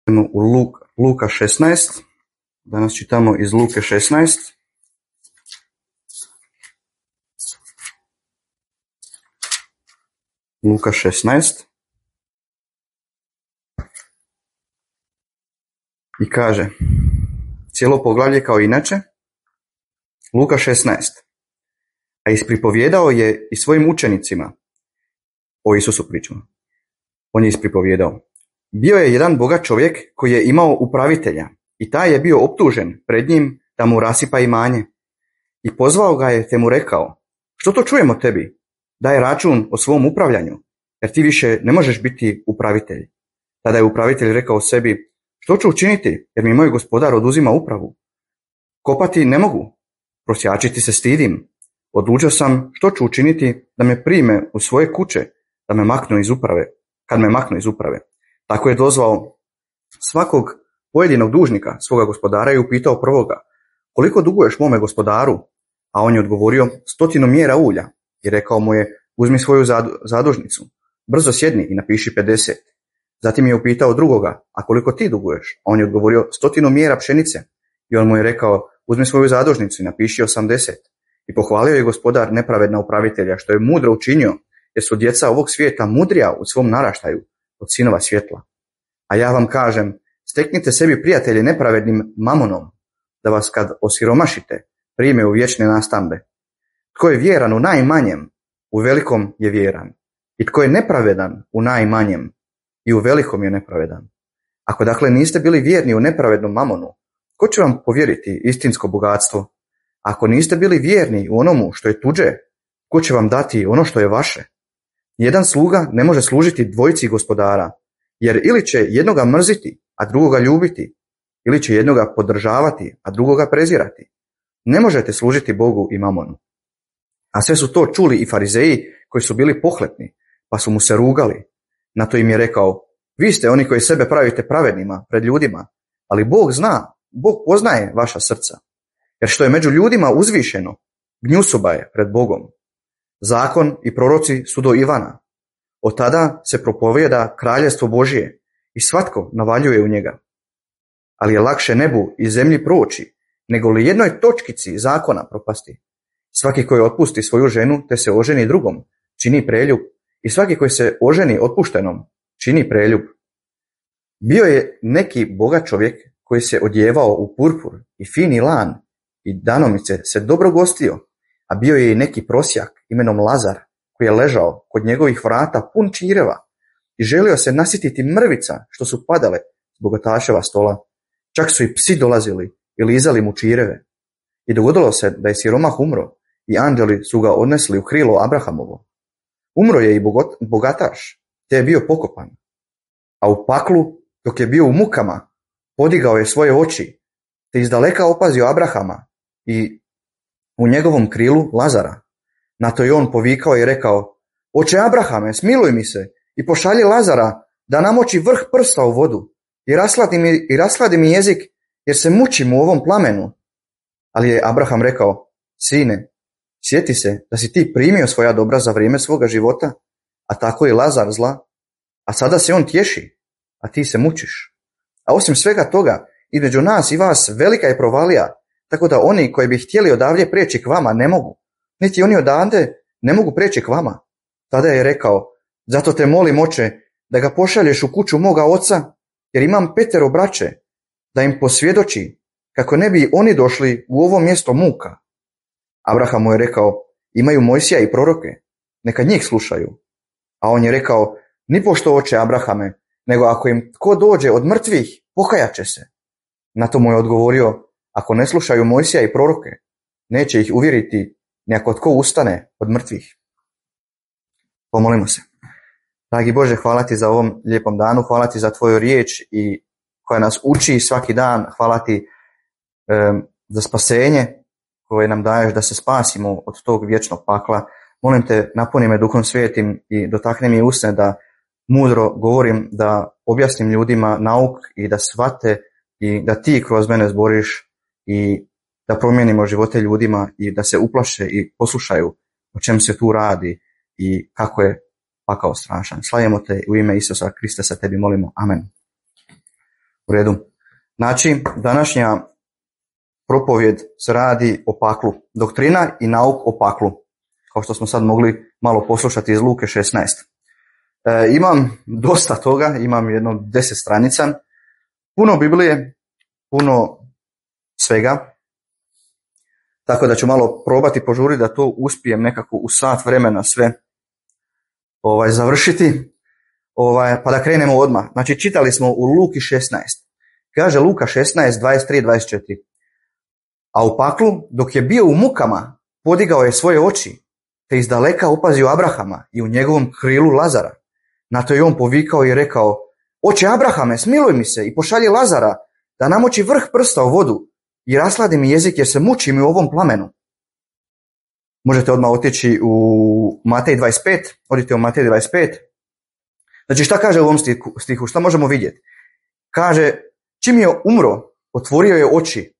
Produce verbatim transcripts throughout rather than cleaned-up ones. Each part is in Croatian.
U Luka, Luka šesnaest, danas čitamo iz Luke šesnaest. Luka šesnaest. I kaže, cijelo poglavlje kao inače, Luka šesnaest. A ispripovjedao je i svojim učenicima, o Isusu pričamo, on je ispripovjedao. Bio je jedan bogat čovjek koji je imao upravitelja i taj je bio optužen pred njim da mu rasipa imanje. I pozvao ga je te mu rekao, što to čujemo tebi? Daj račun o svom upravljanju, jer ti više ne možeš biti upravitelj. Tada je upravitelj rekao sebi, što ću učiniti, jer mi moj gospodar oduzima upravu? Kopati ne mogu, prosjačiti se stidim. Odlučio sam što ću učiniti da me prime u svoje kuće, da me maknu iz uprave, kad me maknu iz uprave. Tako je dozvao svakog pojedinog dužnika svoga gospodara i upitao prvoga, koliko duguješ mome gospodaru? A on je odgovorio, stotinu mjera ulja. I rekao mu je, uzmi svoju zadužnicu, brzo sjedni i napiši pedeset. Zatim je upitao drugoga, a koliko ti duguješ? A on je odgovorio, stotinu mjera pšenice. I on mu je rekao, uzmi svoju zadužnicu i napiši osamdeset. I pohvalio je gospodar nepravedna upravitelja, što je mudro učinio, jer su djeca ovog svijeta mudrija u svom naraštaju od sinova svjetla. A ja vam kažem, steknite sebi prijatelje nepravednim mamonom, da vas kad osiromašite prime u vječne nastambe. Tko je vjeran u najmanjem, u velikom je vjeran. I tko je nepravedan u najmanjem, i u velikom je nepravedan. Ako dakle niste bili vjerni u nepravednom mamonu, ko će vam povjeriti istinsko bogatstvo? Ako niste bili vjerni u onomu što je tuđe, ko će vam dati ono što je vaše? Jedan sluga ne može služiti dvojici gospodara, jer ili će jednoga mrziti, a drugoga ljubiti, ili će jednoga podržavati, a drugoga prezirati. Ne možete služiti Bogu i mamonu. A sve su to čuli i farizeji koji su bili pohlepni, pa su mu se rugali. Na to im je rekao, vi ste oni koji sebe pravite pravednima pred ljudima, ali Bog zna, Bog poznaje vaša srca. Jer što je među ljudima uzvišeno, gnjusoba je pred Bogom. Zakon i proroci su do Ivana. Od tada se propovijeda kraljevstvo Božije i svatko navaljuje u njega. Ali je lakše nebu i zemlji proći, nego li jednoj točkici zakona propasti. Svaki koji otpusti svoju ženu te se oženi drugom, čini preljub, i svaki koji se oženi otpuštenom, čini preljub. Bio je neki bogat čovjek koji se odjevao u purpur i fini lan i danomice se dobro gostio, a bio je i neki prosjak imenom Lazar koji je ležao kod njegovih vrata pun čireva i želio se nasititi mrvica što su padale s bogataševa stola. Čak su i psi dolazili i lizali mu čireve. I dogodilo se da je siromah umro i anđeli su ga odnesli u krilo Abrahamovo. Umro je i bogataš, te je bio pokopan. A u paklu, dok je bio u mukama, podigao je svoje oči, te izdaleka opazio Abrahama i u njegovom krilu Lazara. Na to je on povikao i rekao, oče Abrahame, smiluj mi se i pošalji Lazara da namoči vrh prsta u vodu i rasladi mi, i rasladi mi jezik, jer se mučim u ovom plamenu. Ali je Abraham rekao, sine, sjeti se da si ti primio svoja dobra za vrijeme svoga života, a tako i Lazar zla, a sada se on tješi, a ti se mučiš. A osim svega toga, između nas i vas velika je provalija, tako da oni koji bi htjeli odavdje prijeći k vama ne mogu, niti oni odande ne mogu prijeći k vama. Tada je rekao, zato te molim, oče, da ga pošalješ u kuću moga oca, jer imam petero braće, da im posvjedoči, kako ne bi oni došli u ovo mjesto muka. Abraham mu je rekao, imaju Mojsija i proroke, neka njih slušaju. A on je rekao, nipošto oče Abrahame, nego ako im tko dođe od mrtvih, pokajat će se. Na to mu je odgovorio, ako ne slušaju Mojsija i proroke, neće ih uvjeriti ni ako tko ustane od mrtvih. Pomolimo se. Dragi Bože, hvala ti za ovom lijepom danu, hvala ti za tvoju riječ i koja nas uči svaki dan, hvala ti um, za spasenje koje nam daješ da se spasimo od tog vječnog pakla. Molim te, napuni me Duhom Svijetim i dotakni mi usne da mudro govorim, da objasnim ljudima nauk i da shvate i da ti kroz mene zboriš i da promijenimo živote ljudima i da se uplaše i poslušaju o čem se tu radi i kako je pakao strašan. Slavimo te u ime Isusa Krista, sa tebi molimo. Amen. U redu. Znači, današnja propovjed se radi o paklu. Doktrina i nauk o paklu. Kao što smo sad mogli malo poslušati iz Luke šesnaest. E, imam dosta toga, imam jedno deset stranica. Puno Biblije, puno svega. Tako da ću malo probati požuriti da to uspijem nekako u sat vremena sve ovaj, završiti. Ovaj, pa da krenemo odmah. Znači, čitali smo u Luki šesnaest. Kaže Luka šesnaest, dvadeset tri dvadeset četiri. A u paklu, dok je bio u mukama, podigao je svoje oči, te izdaleka opazio Abrahama i u njegovom krilu Lazara. Na to je on povikao i rekao: Oče Abrahame, smiluj mi se i pošalji Lazara da namoči vrh prsta u vodu i rasladi mi jezik jer se mučim u ovom plamenu. Možete odmah otići u Matej dvadeset pet, odite u Matej dvadeset pet. Znači, šta kaže u ovom stihu, stihu? Šta možemo vidjeti? Kaže, čim je umro, otvorio je oči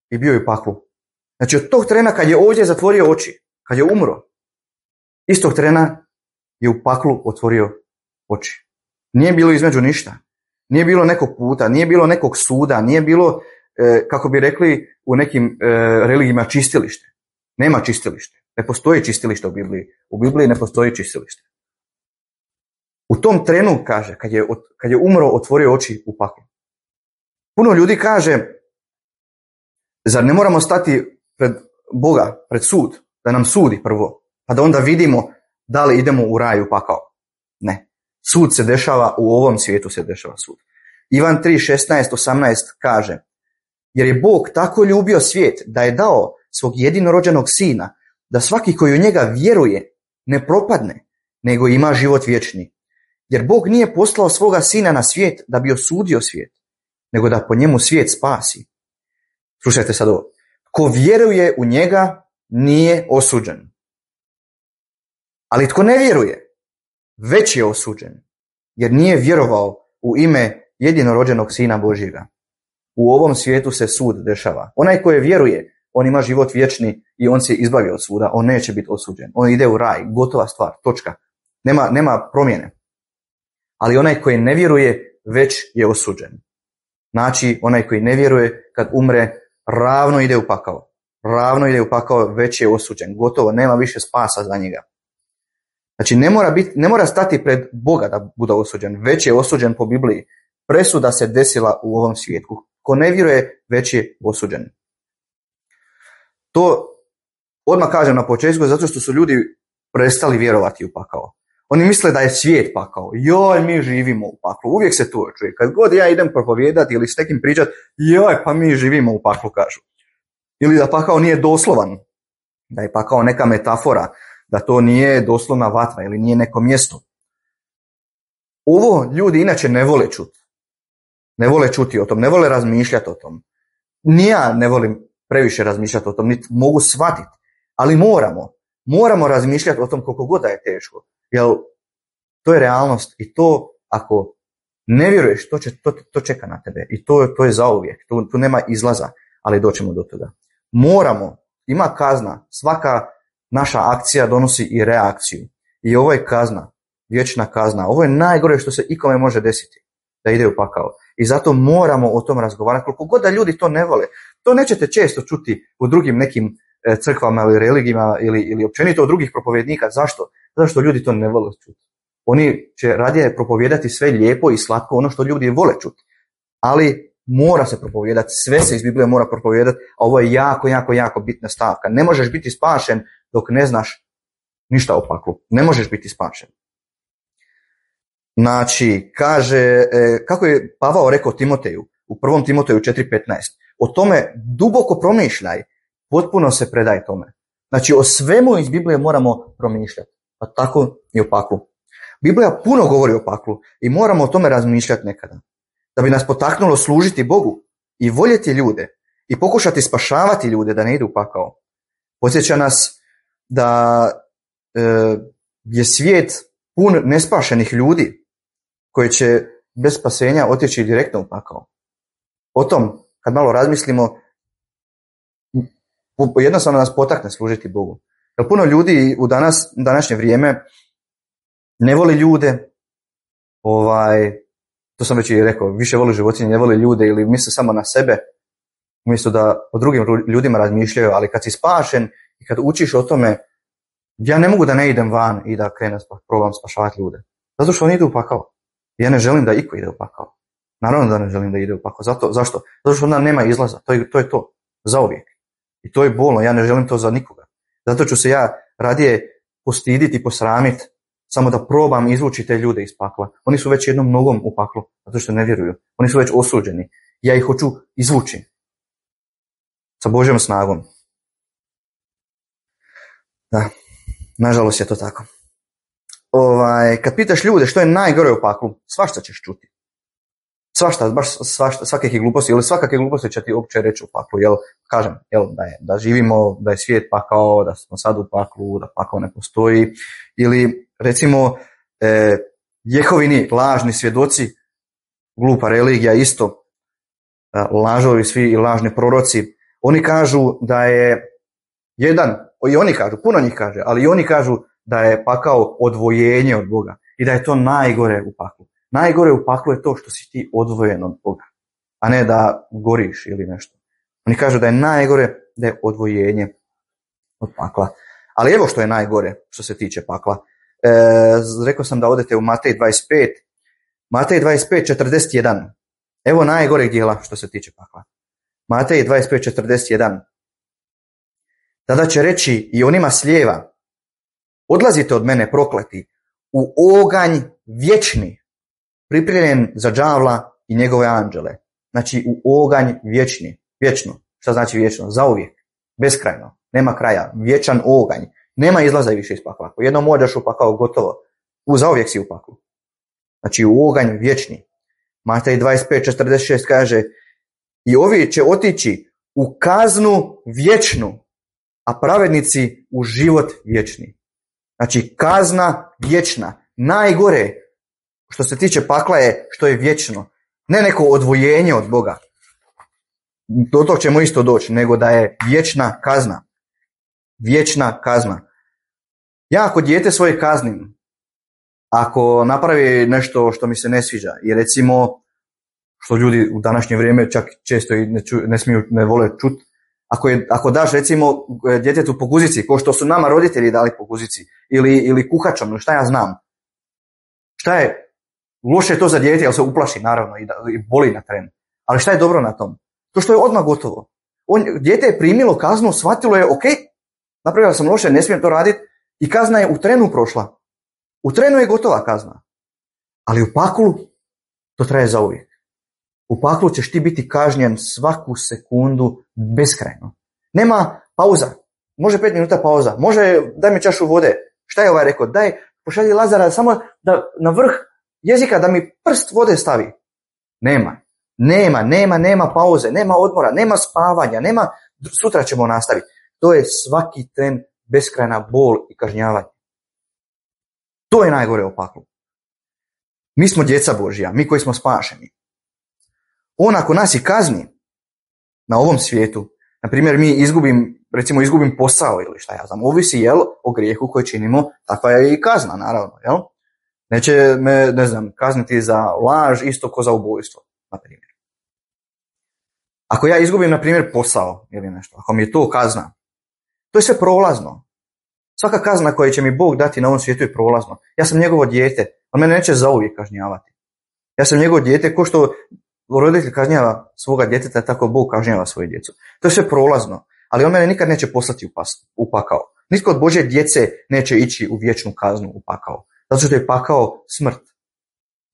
i bio je u paklu. Znači, od tog trena kad je ovdje zatvorio oči, kad je umro, istog trena je u paklu otvorio oči. Nije bilo između ništa. Nije bilo nekog puta, nije bilo nekog suda, nije bilo, e, kako bi rekli u nekim e, religijama, čistilište. Nema čistilište. Ne postoji čistilište u Bibliji. U Bibliji ne postoji čistilište. U tom trenu, kaže, kad je, kad je umro, otvorio oči u paklu. Puno ljudi kaže, zar ne moramo stati pred Boga, pred sud, da nam sudi prvo, pa da onda vidimo da li idemo u raj, u pakao. Ne. Sud se dešava, u ovom svijetu se dešava sud. Ivan tri, šesnaest, osamnaest kaže: Jer je Bog tako ljubio svijet da je dao svog jedinorođenog sina, da svaki koji u njega vjeruje ne propadne, nego ima život vječni. Jer Bog nije poslao svoga sina na svijet da bi osudio svijet, nego da po njemu svijet spasi. Slušajte sad ovo. Ko vjeruje u njega nije osuđen. Ali tko ne vjeruje, već je osuđen, jer nije vjerovao u ime jedinorođenog sina Božjega. U ovom svijetu se sud dešava. Onaj koji vjeruje, on ima život vječni i on se izbavi od suda, on neće biti osuđen. On ide u raj, gotova stvar, točka. Nema, nema promjene. Ali onaj koji ne vjeruje, već je osuđen. Znači, onaj koji ne vjeruje, kad umre, ravno ide u pakao. Ravno ide u pakao, već je osuđen. Gotovo, nema više spasa za njega. Znači, ne mora, biti, ne mora stati pred Boga da bude osuđen, već je osuđen po Bibliji. Presuda se desila u ovom svijetu. Ko ne vjeruje, već je osuđen. To odmah kažem na početku, zato što su ljudi prestali vjerovati u pakao. Oni misle da je svijet pakao. Joj, mi živimo u paklu. Uvijek se to čuje. Kad god ja idem propovijedati ili s nekim pričati, joj, pa mi živimo u paklu, kažu. Ili da pakao nije doslovan. Da je pakao neka metafora. Da to nije doslovna vatra ili nije neko mjesto. Ovo ljudi inače ne vole čuti. Ne vole čuti o tom, ne vole razmišljati o tom. Ni ja ne volim previše razmišljati o tom, niti mogu shvatiti. Ali moramo. Moramo razmišljati o tom koliko god da je teško. Jer to je realnost i to ako ne vjeruješ, to, će, to, to čeka na tebe. I to, to je zauvijek. Tu, tu nema izlaza, ali doćemo do toga. Moramo. Ima kazna. Svaka naša akcija donosi i reakciju. I ovo je kazna. Vječna kazna. Ovo je najgore što se ikome može desiti. Da ide u pakao. I zato moramo o tom razgovarati. Koliko god da ljudi to ne vole. To nećete često čuti u drugim nekim crkvama ili religijama ili, ili općenito od drugih propovjednika. Zašto? Zato što ljudi to ne vole čuti. Oni će radije propovijedati sve lijepo i slatko, ono što ljudi vole čuti. Ali mora se propovijedati, sve se iz Biblije mora propovijedati, a ovo je jako, jako, jako bitna stavka. Ne možeš biti spašen dok ne znaš ništa o paklu. Ne možeš biti spašen. Znači, kaže, kako je Pavao rekao Timoteju, u prvom Timoteju četiri petnaest, o tome duboko promišljaj, potpuno se predaj tome. Znači, o svemu iz Biblije moramo promišljati, a tako i o paklu. Biblija puno govori o paklu i moramo o tome razmišljati nekada. Da bi nas potaknulo služiti Bogu i voljeti ljude i pokušati spašavati ljude da ne idu u pakao. Podsjeća nas da e, je svijet pun nespašenih ljudi koji će bez spasenja otići direktno u pakao. O tom, kad malo razmislimo, jednostavno nas potakne služiti Bogu. Jer puno ljudi u danas, današnje vrijeme ne voli ljude, ovaj, to sam već i rekao, više voli životinje, ne voli ljude ili misle samo na sebe, umjesto da o drugim ljudima razmišljaju, ali kad si spašen i kad učiš o tome, ja ne mogu da ne idem van i da krenem, probam spašavati ljude. Zato što oni idu u pakao. Ja ne želim da iko ide u pakao. Naravno da ne želim da ide u pakao. Zato, zašto? Zato što onda nema izlaza. To je, to je to. Zauvijek. I to je bolno. Ja ne želim to za nikoga. Zato ću se ja radije postiditi, posramiti, samo da probam izvući te ljude iz pakla. Oni su već jednom nogom u paklu, zato što ne vjeruju. Oni su već osuđeni. Ja ih hoću izvući. Sa Božjom snagom. Da. Nažalost je to tako. Ovaj, kad pitaš ljude što je najgore u paklu, svašta ćeš čuti. Svašta, baš svašta, svakakve gluposti, ili svakakve gluposti će ti uopće reći u paklu, jel, kažem, jel, da, je, da živimo, da je svijet pakao, da smo sad u paklu, da pakao ne postoji, ili recimo eh, Jehovini lažni svjedoci, glupa religija isto, lažovi svi i lažni proroci, oni kažu da je jedan, i oni kažu, puno njih kaže, ali i oni kažu da je pakao odvojenje od Boga i da je to najgore u paklu. Najgore u paklu je to što si ti odvojen od Boga, a ne da goriš ili nešto. Oni kažu da je najgore da je odvojenje od pakla. Ali evo što je najgore što se tiče pakla. E, rekao sam da odete u Matej dvadeset pet. Matej dvadeset pet četrdeset jedan. Evo najgoreg dijela što se tiče pakla. Matej dvadeset pet četrdeset jedan. Tada će reći i onima s lijeva, odlazite od mene prokleti u oganj vječni, pripremljen za đavla i njegove anđele. Znači u oganj vječni. Vječno. Šta znači vječno? Zauvijek. Beskrajno. Nema kraja. Vječan oganj. Nema izlaza više iz pakla. Ako jednom odeš u pakao, gotovo. U zauvijek si u paklu. Znači u oganj vječni. Matej dvadeset pet četrdeset šest kaže i ovi će otići u kaznu vječnu, a pravednici u život vječni. Znači kazna vječna. Najgore što se tiče pakla je što je vječno. Ne neko odvojenje od Boga. Do tog ćemo isto doći, nego da je vječna kazna. Vječna kazna. Ja ako dijete svoje kaznim, ako napravi nešto što mi se ne sviđa, i recimo, što ljudi u današnje vrijeme čak često i ne, ču, ne smiju, ne vole čuti, ako, je, ako daš recimo djetetu po guzici, ko što su nama roditelji dali po guzici, ili, ili kuhačom, ili šta ja znam, šta je loše je to za dijete, jer se uplaši naravno i, da, i boli na tren. Ali šta je dobro na tom? To što je odmah gotovo. On, dijete je primilo kaznu, shvatilo je, ok, napravio sam loše, ne smijem to raditi, i kazna je u trenu prošla. U trenu je gotova kazna. Ali u paklu to traje zauvijek. U paklu ćeš ti biti kažnjen svaku sekundu beskrajno. Nema pauza. Može pet minuta pauza. Može daj mi čašu vode. Šta je ovaj rekao? Daj, pošalji Lazara samo da na vrh jezika da mi prst vode stavi. Nema. Nema, nema, nema pauze, nema odmora, nema spavanja, nema sutra ćemo nastaviti. To je svaki tren beskrajna bol i kažnjavanje. To je najgore u paklu. Mi smo djeca Božja, mi koji smo spašeni. On ako nas i kazni na ovom svijetu, na primjer mi izgubim, recimo izgubim posao ili šta ja znam, ovisi jel o grijehu koji činimo, takva je i kazna naravno, jel? Neće me, ne znam, kazniti za laž isto ko za ubojstvo, na primjer. Ako ja izgubim, na primjer, posao ili nešto, ako mi je to kazna, to je sve prolazno. Svaka kazna koju će mi Bog dati na ovom svijetu je prolazno. Ja sam njegovo dijete, on mene neće zauvijek kažnjavati. Ja sam njegovo dijete, ko što roditelj kažnjava svoga djeteta, tako Bog kažnjava svoje djecu. To je sve prolazno, ali on mene nikad neće poslati u, pas, u pakao. Nitko od Božje djece neće ići u vječnu kaznu u pakao. Zato što je pakao smrt,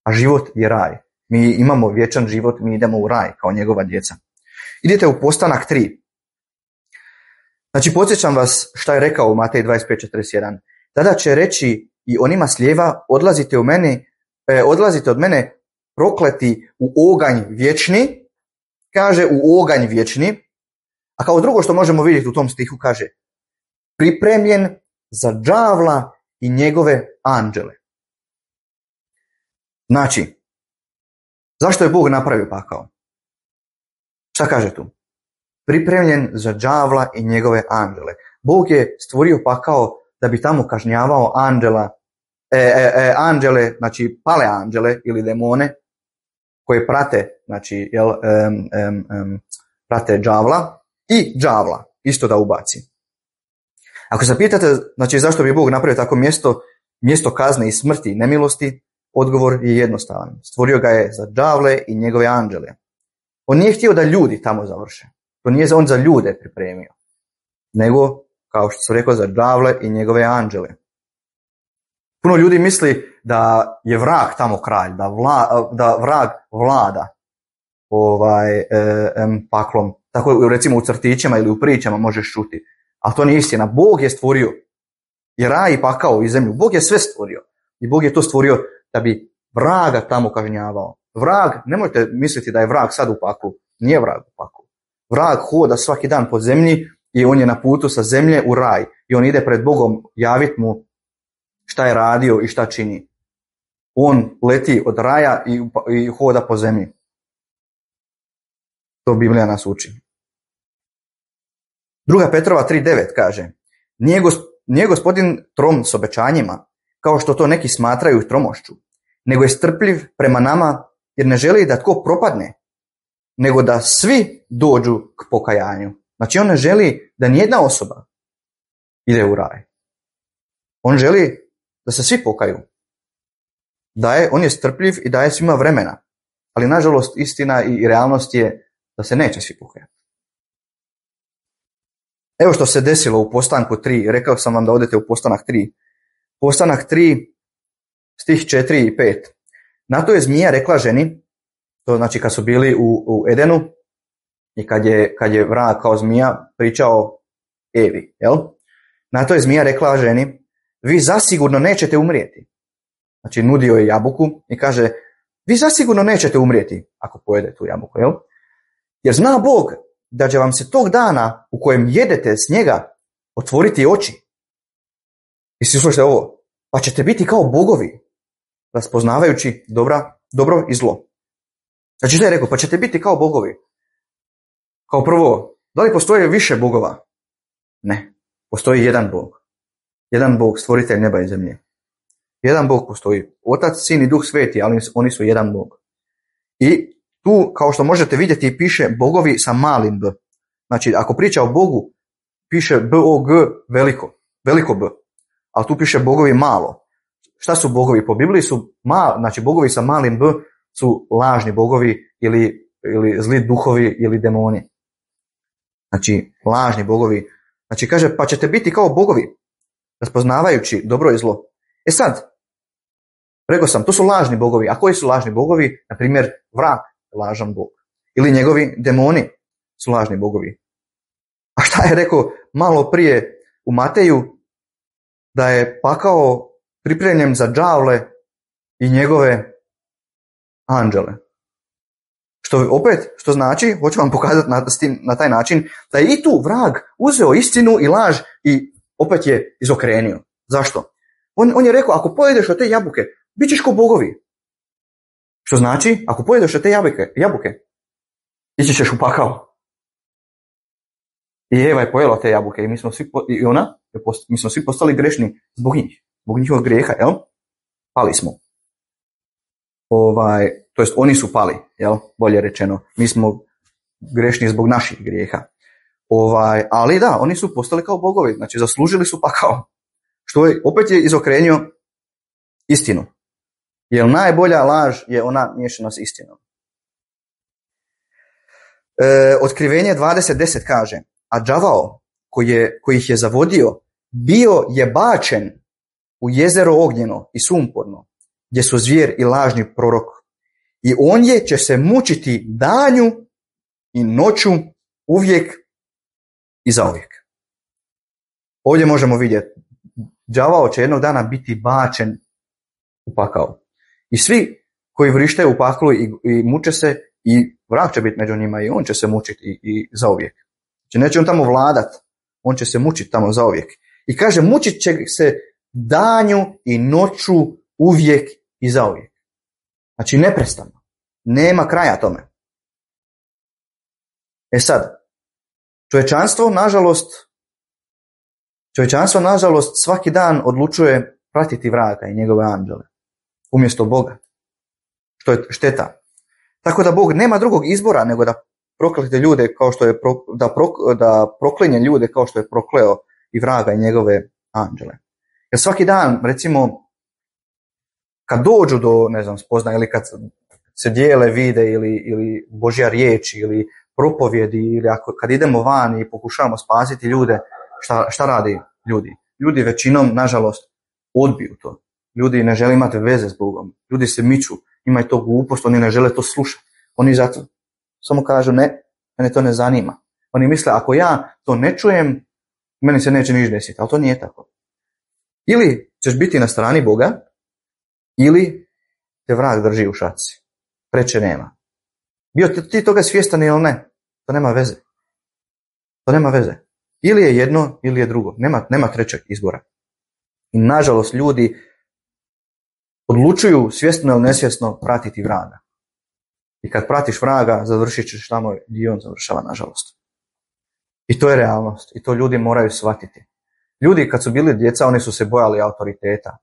a život je raj. Mi imamo vječan život, mi idemo u raj kao njegova djeca. Idete u Postanak tri. Znači, podsjećam vas šta je rekao u Matej dvadeset pet četrdeset jedan. Tada će reći i onima s lijeva, odlazite, u mene, eh, odlazite od mene prokleti u oganj vječni, kaže u oganj vječni, a kao drugo što možemo vidjeti u tom stihu kaže pripremljen za đavla i njegove anđele. Znači, zašto je Bog napravio pakao? Šta kaže tu? Pripremljen za đavla i njegove anđele. Bog je stvorio pakao da bi tamo kažnjavao anđela, e, e, e, anđele, znači pale anđele ili demone, koje prate, znači, jel, um, um, um, prate đavla i đavla, isto da ubaci. Ako se pitate, znači, zašto bi Bog napravio tako mjesto, mjesto kazne i smrti i nemilosti, odgovor je jednostavan. Stvorio ga je za đavle i njegove anđele. On nije htio da ljudi tamo završe. To nije on za ljude pripremio. Nego, kao što sam rekao, za đavle i njegove anđele. Puno ljudi misli da je vrag tamo kralj, da, vla, da vrag vlada ovaj, e, e, paklom. Tako recimo u crtićima ili u pričama možeš čuti. Ali to nije istina. Bog je stvorio i raj i pakao i zemlju. Bog je sve stvorio. I Bog je to stvorio da bi vraga tamo kažnjavao. Vrag, nemojte misliti da je vrag sad u paklu. Nije vrag u paklu. Vrag hoda svaki dan po zemlji i on je na putu sa zemlje u raj. I on ide pred Bogom javiti mu šta je radio i šta čini. On leti od raja i, i hoda po zemlji. To Biblija nas uči. Druga Petrova tri devet kaže: Nije, gosp, nije gospodin trom s obećanjima, kao što to neki smatraju tromošću, nego je strpljiv prema nama, jer ne želi da tko propadne, nego da svi dođu k pokajanju. Znači on ne želi da nijedna osoba ide u raj. On želi da se svi pokaju. Daje, on je strpljiv i daje svima vremena. Ali nažalost istina i realnost je da se neće svi pokajati. Evo što se desilo u postanku tri. Rekao sam vam da odete u postanak tri. Postanak tri, stih četiri i pet. Na to je zmija rekla ženi, to znači kad su bili u, u Edenu i kad je, kad je vrag kao zmija pričao Evi. Jel? Na to je zmija rekla ženi: vi zasigurno nećete umrijeti. Znači nudio je jabuku i kaže: vi zasigurno nećete umrijeti ako pojedete tu jabuku. Jel? Jer zna Bog da će vam se tog dana u kojem jedete s njega otvoriti oči. I si slušajte ovo: pa ćete biti kao bogovi, raspoznavajući dobra, dobro i zlo. Znači što je rekao? Pa ćete biti kao bogovi. Kao prvo, da li postoje više bogova? Ne. Postoji jedan Bog. Jedan Bog, stvoritelj neba i zemlje. Jedan Bog postoji. Otac, Sin i Duh Sveti, ali oni su jedan Bog. I tu, kao što možete vidjeti, piše bogovi sa malim b. Znači, ako priča o Bogu, piše B O G veliko, veliko B. Ali tu piše bogovi malo. Šta su bogovi? Po Bibliji su mal, znači bogovi sa malim b su lažni bogovi ili, ili zli duhovi ili demoni. Znači, lažni bogovi. Znači, kaže, pa ćete biti kao bogovi, raspoznavajući dobro i zlo. E sad, rekao sam, to su lažni bogovi. A koji su lažni bogovi? Na primjer, vrag, lažan bog. Ili njegovi demoni su lažni bogovi. A šta je rekao malo prije u Mateju? Da je pakao pripremljen za đavle i njegove anđele. Što opet, što znači, hoću vam pokazati na, na taj način, da je i tu vrag uzeo istinu i laž i opet je izokrenio. Zašto? On, on je rekao, ako pojedeš od te jabuke, bit ćeš ko bogovi. Što znači, ako pojedeš od te jabuke, jabuke ići ćeš u pakao. I Eva je pojela te jabuke i mi smo svi, i ona, mi smo svi postali grešni zbog njih, zbog njihovog grijeha, jel? Pali smo. Ovaj, to jest oni su pali, jel? Bolje rečeno. Mi smo grešni zbog naših grijeha. Ovaj, ali da, oni su postali kao bogovi, znači zaslužili su pakao. Što je, opet je izokrenio istinu. Jer najbolja laž je ona miješana s istinom. E, Otkrivenje dvadeset deset kaže: a đavao koji, je, koji ih je zavodio bio je bačen u jezero ognjeno i sumporno, gdje su zvijer i lažni prorok. I on je će se mučiti danju i noću uvijek i zauvijek. Ovdje možemo vidjeti, đavao će jednog dana biti bačen u pakao. I svi koji vrištaju u paklu i, i muče se, i vrag će biti među njima i on će se mučiti i, i zauvijek. Znači neće on tamo vladat, on će se mučiti tamo zauvijek. I kaže, mučit će se danju i noću uvijek i zauvijek. Znači neprestano. Nema kraja tome. E sad, čovječanstvo, nažalost, čovječanstvo, nažalost, svaki dan odlučuje pratiti vraga i njegove anđele umjesto Boga. Što je šteta. Tako da Bog nema drugog izbora nego da proklete ljude kao što je pro, da, pro, da proklinje ljude kao što je prokleo i vraga i njegove anđele. Jer svaki dan, recimo, kad dođu do, ne znam, spoznaje ili kad se dijele vide ili, ili Božja riječ ili propovjedi ili ako, kad idemo van i pokušavamo spasiti ljude, šta, šta radi ljudi? Ljudi većinom, nažalost, odbiju to. Ljudi ne žele imati veze s Bogom. Ljudi se miču, imaju to glupost, oni ne žele to slušati. Oni zato samo kažu ne, mene to ne zanima. Oni misle ako ja to ne čujem, meni se neće ništa desiti, ali to nije tako. Ili ćeš biti na strani Boga, ili te vrag drži u šaci. Preče nema. Bio ti toga svjestan ili ne, to nema veze. To nema veze. Ili je jedno, ili je drugo. Nema, nema trećeg izbora. I nažalost ljudi odlučuju svjesno ili nesvjesno pratiti vraga. I kad pratiš vraga, završit ćeš tamo gdje on završava, nažalost. I to je realnost. I to ljudi moraju shvatiti. Ljudi kad su bili djeca, oni su se bojali autoriteta.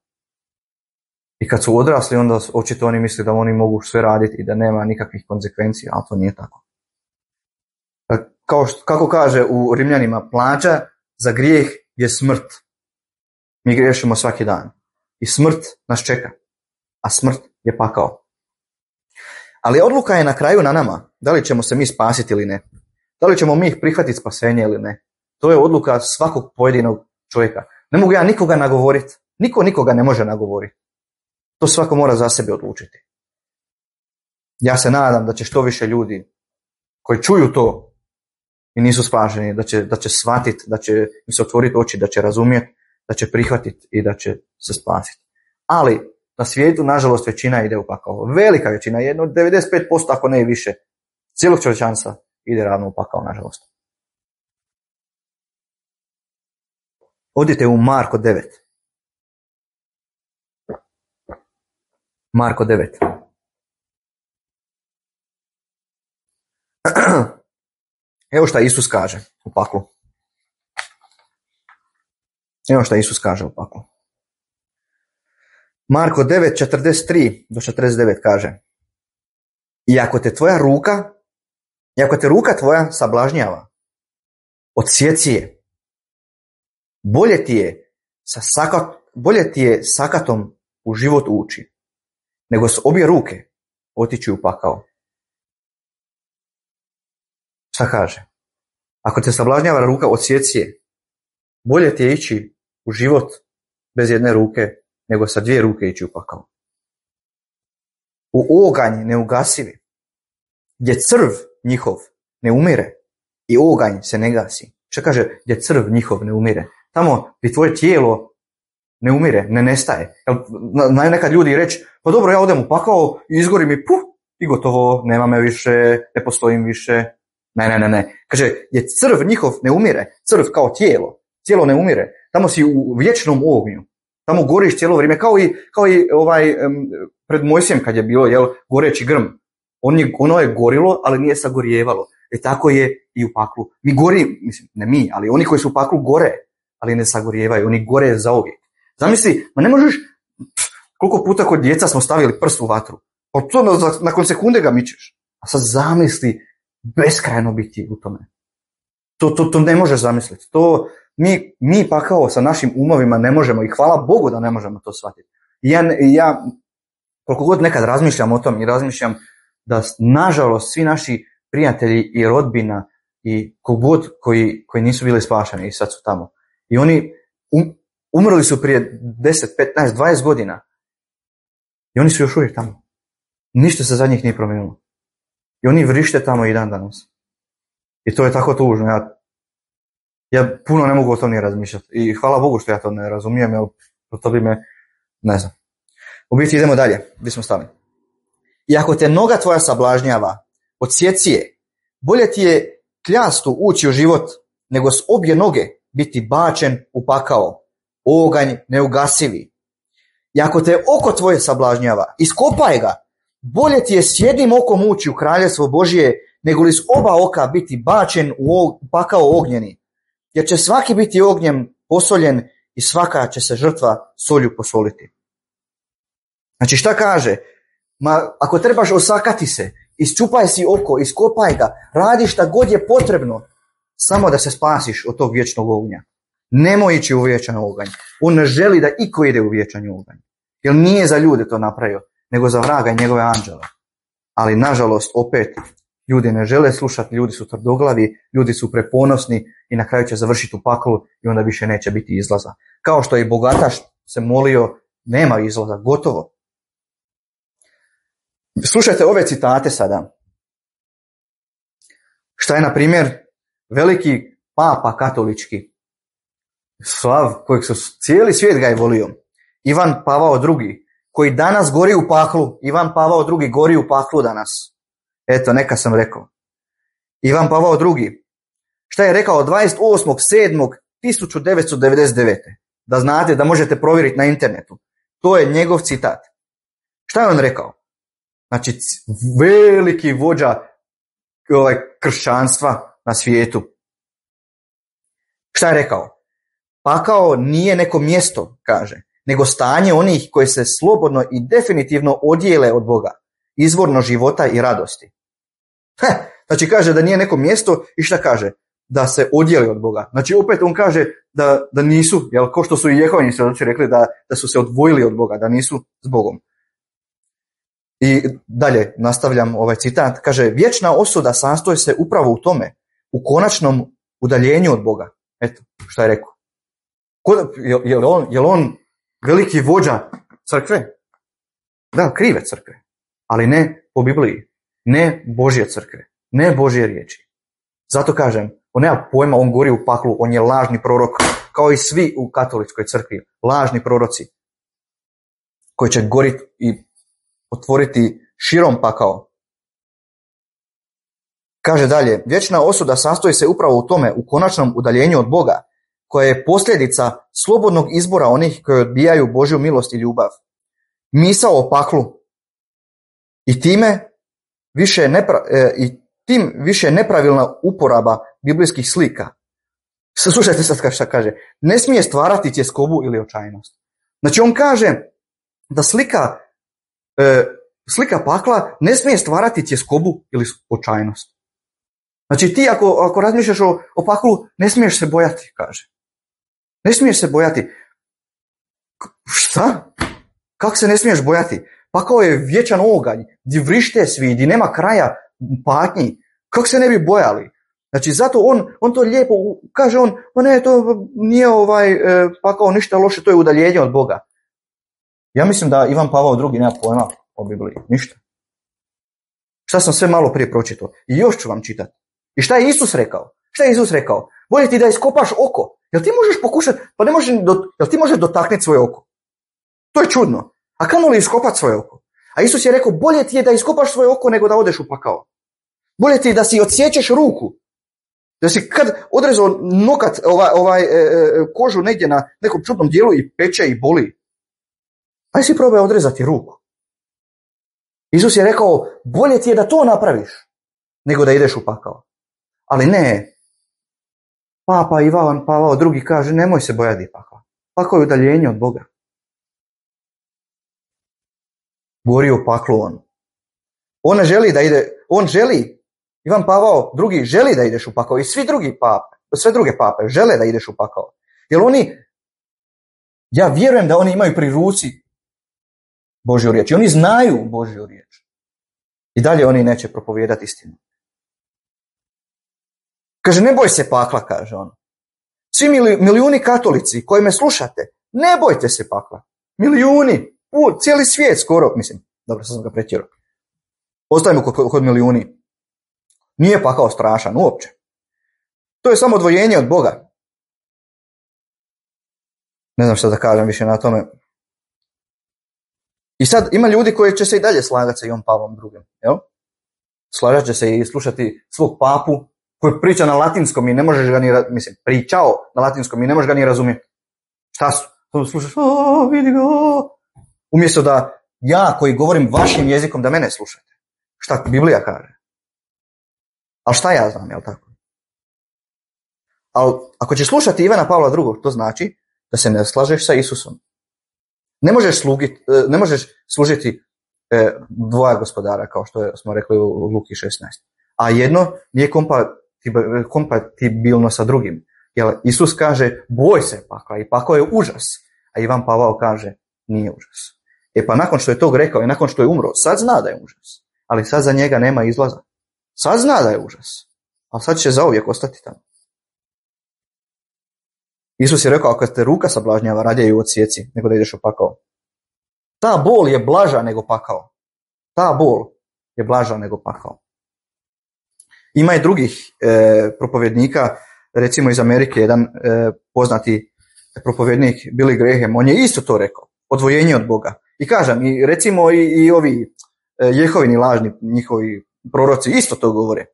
I kad su odrasli, onda očito oni misle da oni mogu sve raditi i da nema nikakvih konsekvencija, ali to nije tako. Kao što, kako kaže u Rimljanima, plaća za grijeh je smrt. Mi griješimo svaki dan. I smrt nas čeka. A smrt je pakao. Ali odluka je na kraju na nama. Da li ćemo se mi spasiti ili ne. Da li ćemo mi prihvatiti spasenje ili ne. To je odluka svakog pojedinog čovjeka. Ne mogu ja nikoga nagovoriti. Niko nikoga ne može nagovoriti. To svako mora za sebe odlučiti. Ja se nadam da će što više ljudi koji čuju to i nisu spašeni, da će, da će shvatiti, da će im se otvoriti oči, da će razumjeti, da će prihvatiti i da će se spasiti. Ali na svijetu, nažalost, većina ide u pakao. Velika većina, jedno devedeset pet posto ako ne i više, cijelog čovječanstva ide ravno u pakao, nažalost. Odite u Marko devet. Marko devet. Evo šta Isus kaže u paklu. Evo šta Isus kaže u paklu. Marko devet, četrdeset tri do četrdeset devet kaže: I ako te tvoja ruka, i ako te ruka tvoja sablažnjava, odsjeci je. Bolje ti je sa sakat, bolje ti je sakatom u život ući, nego s obje ruke otići u pakao. Šta kaže? Ako te sablažnjava ruka, odsjeci je. Bolje ti je ići u život bez jedne ruke, nego sa dvije ruke ići u pakao. U oganj neugasivi, gdje crv njihov ne umire i oganj se ne gasi. Šta kaže? Gdje crv njihov ne umire. Tamo gdje tvoje tijelo ne umire, ne nestaje. Znaju nekad ljudi reći, pa dobro, ja odem u pakao i izgorim i puh, i gotovo, nema me više, ne postojim više. Ne, ne, ne, ne. Kaže, gdje crv njihov ne umire, crv kao tijelo, tijelo ne umire. Tamo si u vječnom ognju. Tamo goriš cijelo vrijeme, kao i, kao i ovaj, um, pred Mojsijem kad je bilo, jel, goreći grm. On je, ono je gorilo, ali nije sagorijevalo. E tako je i u paklu. Mi gori, mislim, ne mi, ali oni koji su u paklu gore, ali ne sagorijevaju. Oni gore zauvijek. Zamisli, ma ne možeš, pff, koliko puta kod djeca smo stavili prst u vatru. Pa to na, nakon sekunde ga mičeš. A sad zamisli, beskrajno biti u tome. To, to, to ne možeš zamisliti. To mi, mi pa kao sa našim umovima ne možemo i hvala Bogu da ne možemo to shvatiti. I ja, ja koliko god nekad razmišljam o tom i razmišljam da nažalost svi naši prijatelji i rodbina i kogod koji, koji nisu bili spašeni i sad su tamo. I oni um, umrli su prije deset, petnaest, dvadeset godina. I oni su još uvijek tamo. Ništa se za njih nije promijenilo. I oni vrište tamo i dan danas. I to je tako tužno. Ja, ja puno ne mogu o tom ni razmišljati. I hvala Bogu što ja to ne razumijem, jer to bi me, ne znam. U biti idemo dalje, gdje smo stali. I ako te noga tvoja sablažnjava, odsjeci je. Bolje ti je kljastu ući u život, nego s obje noge biti bačen u pakao. Oganj neugasivi. I ako te oko tvoje sablažnjava, iskopaj ga. Bolje ti je s jednim okom ući u kraljevstvo Božije, nego li s oba oka biti bačen u pakao ognjeni. Jer će svaki biti ognjem posoljen i svaka će se žrtva solju posoliti. Znači šta kaže? Ma, ako trebaš osakati se Isčupaj si oko, iskopaj ga, radi šta god je potrebno, samo da se spasiš od tog vječnog ognja. Nemoj ići u vječan oganj. On ne želi da iko ide u vječan oganj. Jer nije za ljude to napravio, nego za vraga i njegove anđele. Ali nažalost, opet, ljudi ne žele slušati, ljudi su tvrdoglavi, ljudi su preponosni i na kraju će završiti u paklu i onda više neće biti izlaza. Kao što je bogataš se molio, nema izlaza, gotovo. Slušajte ove citate sada. Šta je, na primjer, veliki papa katolički, slav, kojeg su cijeli svijet ga je volio, Ivan Pavao drugi, koji danas gori u paklu. Ivan Pavao drugi gori u paklu danas. Eto, neka sam rekao. Ivan Pavao drugi. Šta je rekao dvadeset osmog sedmog tisuću devetsto devedeset devete. Da znate, da možete provjeriti na internetu. To je njegov citat. Šta je on rekao? Znači, veliki vođa ovaj, kršćanstva na svijetu. Šta je rekao? Pakao nije neko mjesto, kaže, nego stanje onih koji se slobodno i definitivno odijele od Boga, izvorno života i radosti. Heh, znači kaže da nije neko mjesto i šta kaže? Da se odijeli od Boga. Znači opet on kaže da, da nisu, jel, ko što su i Jehovini svjedoci rekli da, da su se odvojili od Boga, da nisu s Bogom. I dalje nastavljam ovaj citat, kaže, vječna osuda sastoji se upravo u tome, u konačnom udaljenju od Boga. Eto, šta je rekao. Je, je, li on, je li on veliki vođa crkve? Da, krive crkve, ali ne po Bibliji, ne Božje crkve, ne Božje riječi. Zato kažem, on nema pojma, on gori u paklu, on je lažni prorok, kao i svi u katoličkoj crkvi, lažni proroci, koji će goriti i otvoriti širom pakao. Kaže dalje, vječna osuda sastoji se upravo u tome, u konačnom udaljenju od Boga, koja je posljedica slobodnog izbora onih koji odbijaju Božju milost i ljubav. Misao o paklu i time više nepra, e, i tim više nepravilna uporaba biblijskih slika. Slušajte sad šta kaže. Ne smije stvarati tjeskobu ili očajnost. Znači on kaže da slika e, slika pakla ne smije stvarati tjeskobu ili očajnost. Znači ti ako, ako razmišljaš o, o paklu, ne smiješ se bojati, kaže. Ne smiješ se bojati. Šta? Kako se ne smiješ bojati? Pakao je vječan oganj, gdje vrište svi, gdje nema kraja patnji. Kako se ne bi bojali? Znači zato on, on to lijepo kaže, on, pa ne, to nije ovaj e, pakao ništa loše, to je udaljenje od Boga. Ja mislim da Ivan Pavao drugi nema pojma o Bibliji, ništa. Šta sam sve malo prije pročitao i još ću vam čitati. I šta je Isus rekao? Šta je Isus rekao? Bolje ti da iskopaš oko. Jel ti možeš pokušati, pa ne možeš, do, jel ti možeš dotaknuti svoje oko? To je čudno. A kamo li iskopati svoje oko? A Isus je rekao, bolje ti je da iskopaš svoje oko nego da odeš u pakao. Bolje ti je da si odsječeš ruku. Da si kad odrezao nokat, ovaj, ovaj, e, e, kožu negdje na nekom čudnom dijelu i peče i boli. Aj si probaj odrezati ruku. Isus je rekao, bolje ti je da to napraviš nego da ideš u pakao. Ali ne. Papa Ivan Pavao drugi kaže, nemoj se bojati pakla. Pakao je udaljenje od Boga. Gori u paklu on. On ne želi da ide, on želi, Ivan Pavao drugi želi da ideš u pakao i svi drugi pape, sve druge pape žele da ideš u pakao. Jer oni, ja vjerujem da oni imaju pri ruci Božju riječ. I oni znaju Božju riječ. I dalje oni neće propovijedati istinu. Kaže, ne boj se pakla, kaže on. Svi milijuni katolici koji me slušate, ne bojte se pakla. Milijuni, u, cijeli svijet skoro, mislim, dobro, sad sam ga pretjerao. Ostajemo kod, kod milijuni. Nije pakao strašan, uopće. To je samo odvojenje od Boga. Ne znam što da kažem više na tome. I sad ima ljudi koji će se i dalje slagati sa Ivan Pavlom drugim. Jel? Slagat će se i slušati svog papu koji priča na latinskom i ne možeš ga ni, mislim, pričao na latinskom i ne možeš ga ni razumjeti. Šta su? To slušaš, o, vidi ga. Umjesto da ja koji govorim vašim jezikom da mene slušate. Šta Biblija kaže? Ali šta ja znam, jel tako? Ali ako ćeš slušati Ivana Pavla drugog, to znači da se ne slažeš sa Isusom. Ne možeš, slugit, ne možeš služiti e, dvoja gospodara, kao što smo rekli u Luki šesnaest. A jedno nije kompatibilno sa drugim. Jer Isus kaže, boj se pakla i pakao je užas. A Ivan Pavao kaže, nije užas. E pa nakon što je to rekao i nakon što je umro, sad zna da je užas. Ali sad za njega nema izlaza. Sad zna da je užas. Ali sad će zauvijek ostati tamo. Isus je rekao, ako te ruka sablažnjava, radije ju odsjeci, nego da ideš u pakao. Ta bol je blaža nego pakao. Ta bol je blaža nego pakao. Ima i drugih e, propovjednika, recimo iz Amerike, jedan e, poznati propovjednik Billy Graham, on je isto to rekao, odvojenje od Boga. I kažem, i recimo i, i ovi e, Jehovini lažni, njihovi proroci isto to govore.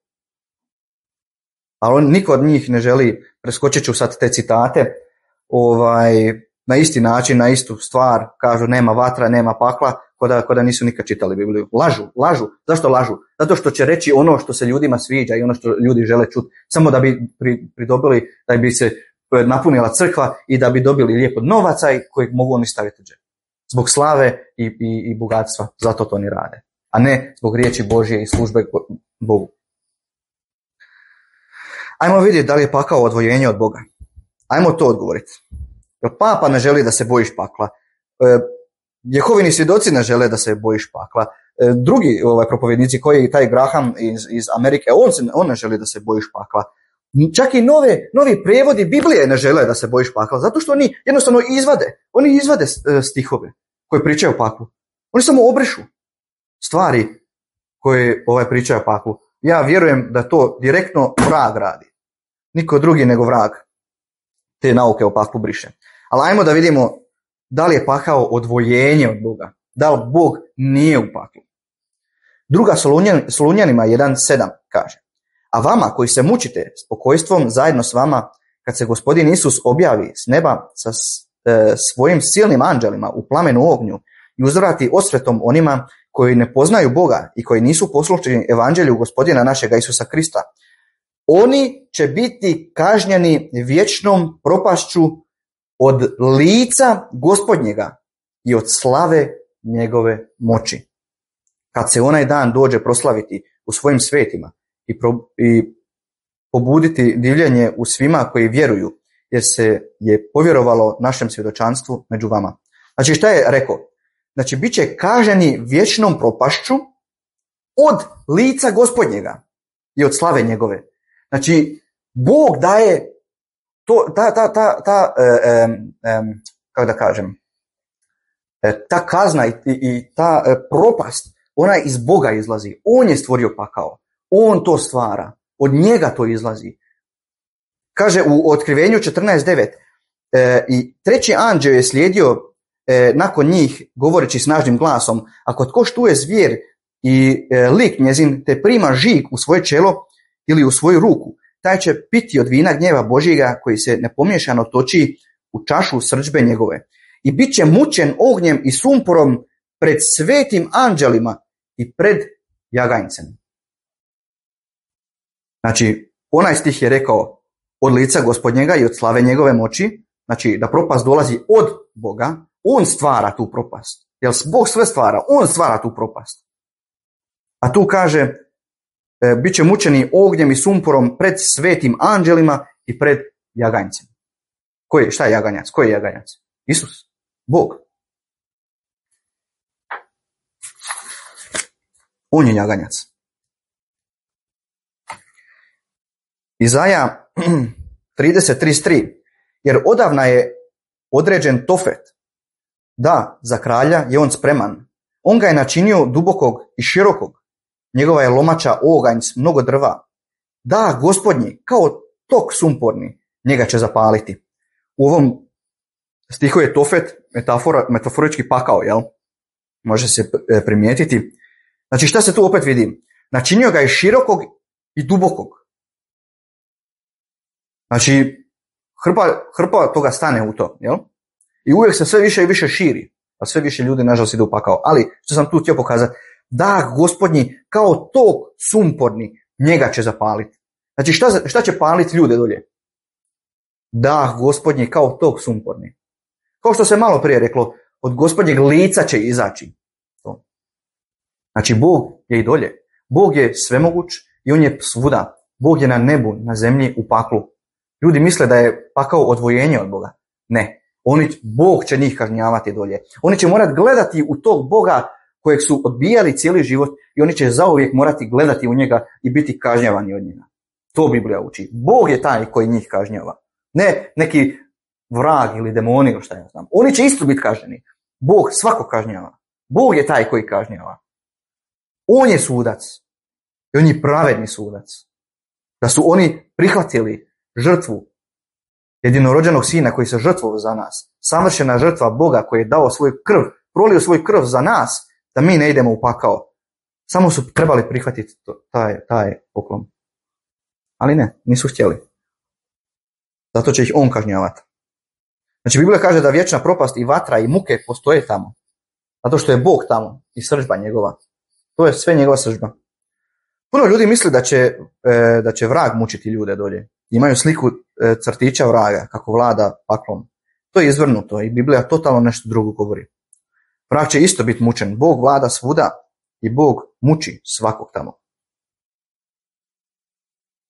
Ali on, niko od njih ne želi, preskočit ću sad te citate, ovaj, na isti način, na istu stvar, kažu nema vatra, nema pakla, koda, koda nisu nikad čitali Bibliju. Lažu, lažu. Zašto lažu? Zato što će reći ono što se ljudima sviđa i ono što ljudi žele čuti, samo da bi pri, pridobili, da bi se napunila crkva i da bi dobili lijepo novaca kojeg mogu oni staviti u džep. Zbog slave i, i, i bogatstva, zato to oni rade. A ne zbog riječi Božje i službe Bogu. Ajmo vidjeti da li je pakao odvojenje od Boga. Ajmo to odgovoriti. Jer papa ne želi da se bojiš pakla. E, Jehovini svjedoci ne žele da se bojiš pakla. E, drugi ovaj, propovjednici, koji je taj Graham iz, iz Amerike, on, se, on ne želi da se bojiš pakla. Čak i nove, novi prevodi Biblije ne žele da se bojiš pakla, zato što oni jednostavno izvade. Oni izvade stihove koje pričaju o paklu. Oni samo obrišu stvari koje ovaj, pričaju o paklu. Ja vjerujem da to direktno vrag radi. Niko drugi nego vrag te nauke o paklu briše. Ali ajmo da vidimo da li je pakao odvojenje od Boga. Da li Bog nije u paklu. Druga Solunjanima jedan sedam kaže: a vama koji se mučite spokojstvom zajedno s vama, kad se Gospodin Isus objavi s neba sa e, svojim silnim anđelima u plamenu ognju i uzvrati osvetom onima koji ne poznaju Boga i koji nisu poslušni evanđelju Gospodina našega Isusa Krista, oni će biti kažnjeni vječnom propašću od lica Gospodnjega i od slave njegove moći. Kad se onaj dan dođe proslaviti u svojim svetima i, pro, i pobuditi divljenje u svima koji vjeruju, jer se je povjerovalo našem svjedočanstvu među vama. Znači šta je rekao? Znači bit će kažnjeni vječnom propašću od lica Gospodnjega i od slave njegove. Znači Bog daje to, ta, ta, ta, ta e, e, e, kako da kažem, e, ta kazna i, i ta e, propast, ona iz Boga izlazi. On je stvorio pakao. On to stvara. Od njega to izlazi. Kaže u Otkrivenju četrnaest devet e, i treći anđeo je slijedio e, nakon njih govoreći snažnim glasom: ako tko štuje zvijer i e, lik njezin te prima žig u svoje čelo ili u svoju ruku, taj će piti od vina gnjeva Božjega koji se nepomiješano toči u čašu srdžbe njegove. I bit će mučen ognjem i sumporom pred svetim anđelima i pred jaganjcem. Znači, onaj stih je rekao od lica Gospodnjega i od slave njegove moći, znači da propast dolazi od Boga, on stvara tu propast. Jer Bog sve stvara, on stvara tu propast. A tu kaže, e, bit će mučeni ognjem i sumporom pred svetim anđelima i pred jaganjcem. Koji, šta je jaganjac? Koji je jaganjac? Isus, Bog. On je jaganjac. Izaja trideset trideset tri, jer odavna je određen Tofet. Da, za kralja je on spreman. On ga je načinio dubokog i širokog. Njegova je lomača oganj s mnogo drva. Da, Gospodnji, kao tok sumporni, njega će zapaliti. U ovom stihu je Tofet metafora, metaforički pakao, jel? Može se primijetiti. Znači šta se tu opet vidi? Načinio ga je širokog i dubokog. Znači hrpa, hrpa toga stane u to, jel? I uvijek se sve više i više širi, a sve više ljudi nažalost ide u pakao. Ali što sam tu htio pokazati, da, Gospodnji, kao tok sumporni, njega će zapaliti. Znači šta, šta će paliti ljude dolje? Da, Gospodnji, kao tok sumporni. Kao što se malo prije reklo, od Gospodnjeg lica će izaći. To. Znači, Bog je i dolje. Bog je svemoguć i on je svuda. Bog je na nebu, na zemlji, u paklu. Ljudi misle da je pakao odvojenje od Boga. Ne. Oni, Bog će njih kažnjavati dolje. Oni će morati gledati u tog Boga kojeg su odbijali cijeli život i oni će zauvijek morati gledati u njega i biti kažnjavani od njega. To Biblija uči. Bog je taj koji njih kažnjava. Ne neki vrag ili demoni ili šta ja znam. Oni će isto biti kažnjeni. Bog svako kažnjava. Bog je taj koji kažnjava. On je sudac. I on je pravedni sudac. Da su oni prihvatili žrtvu jedinorođenog sina koji se žrtvovao za nas. Savršena žrtva Boga koji je dao svoju krv, prolio svoju krv za nas, da mi ne idemo u pakao. Samo su trebali prihvatiti to, taj, taj poklon. Ali ne, nisu htjeli. Zato će ih on kažnjavati. Znači, Biblija kaže da vječna propast i vatra i muke postoje tamo. Zato što je Bog tamo i srdžba njegova. To je sve njegova srdžba. Puno ljudi misli da će, e, da će vrag mučiti ljude dolje. Imaju sliku e, crtića vraga kako vlada paklom. To je izvrnuto i Biblija totalno nešto drugo govori. Vrag će isto biti mučen. Bog vlada svuda i Bog muči svakog tamo.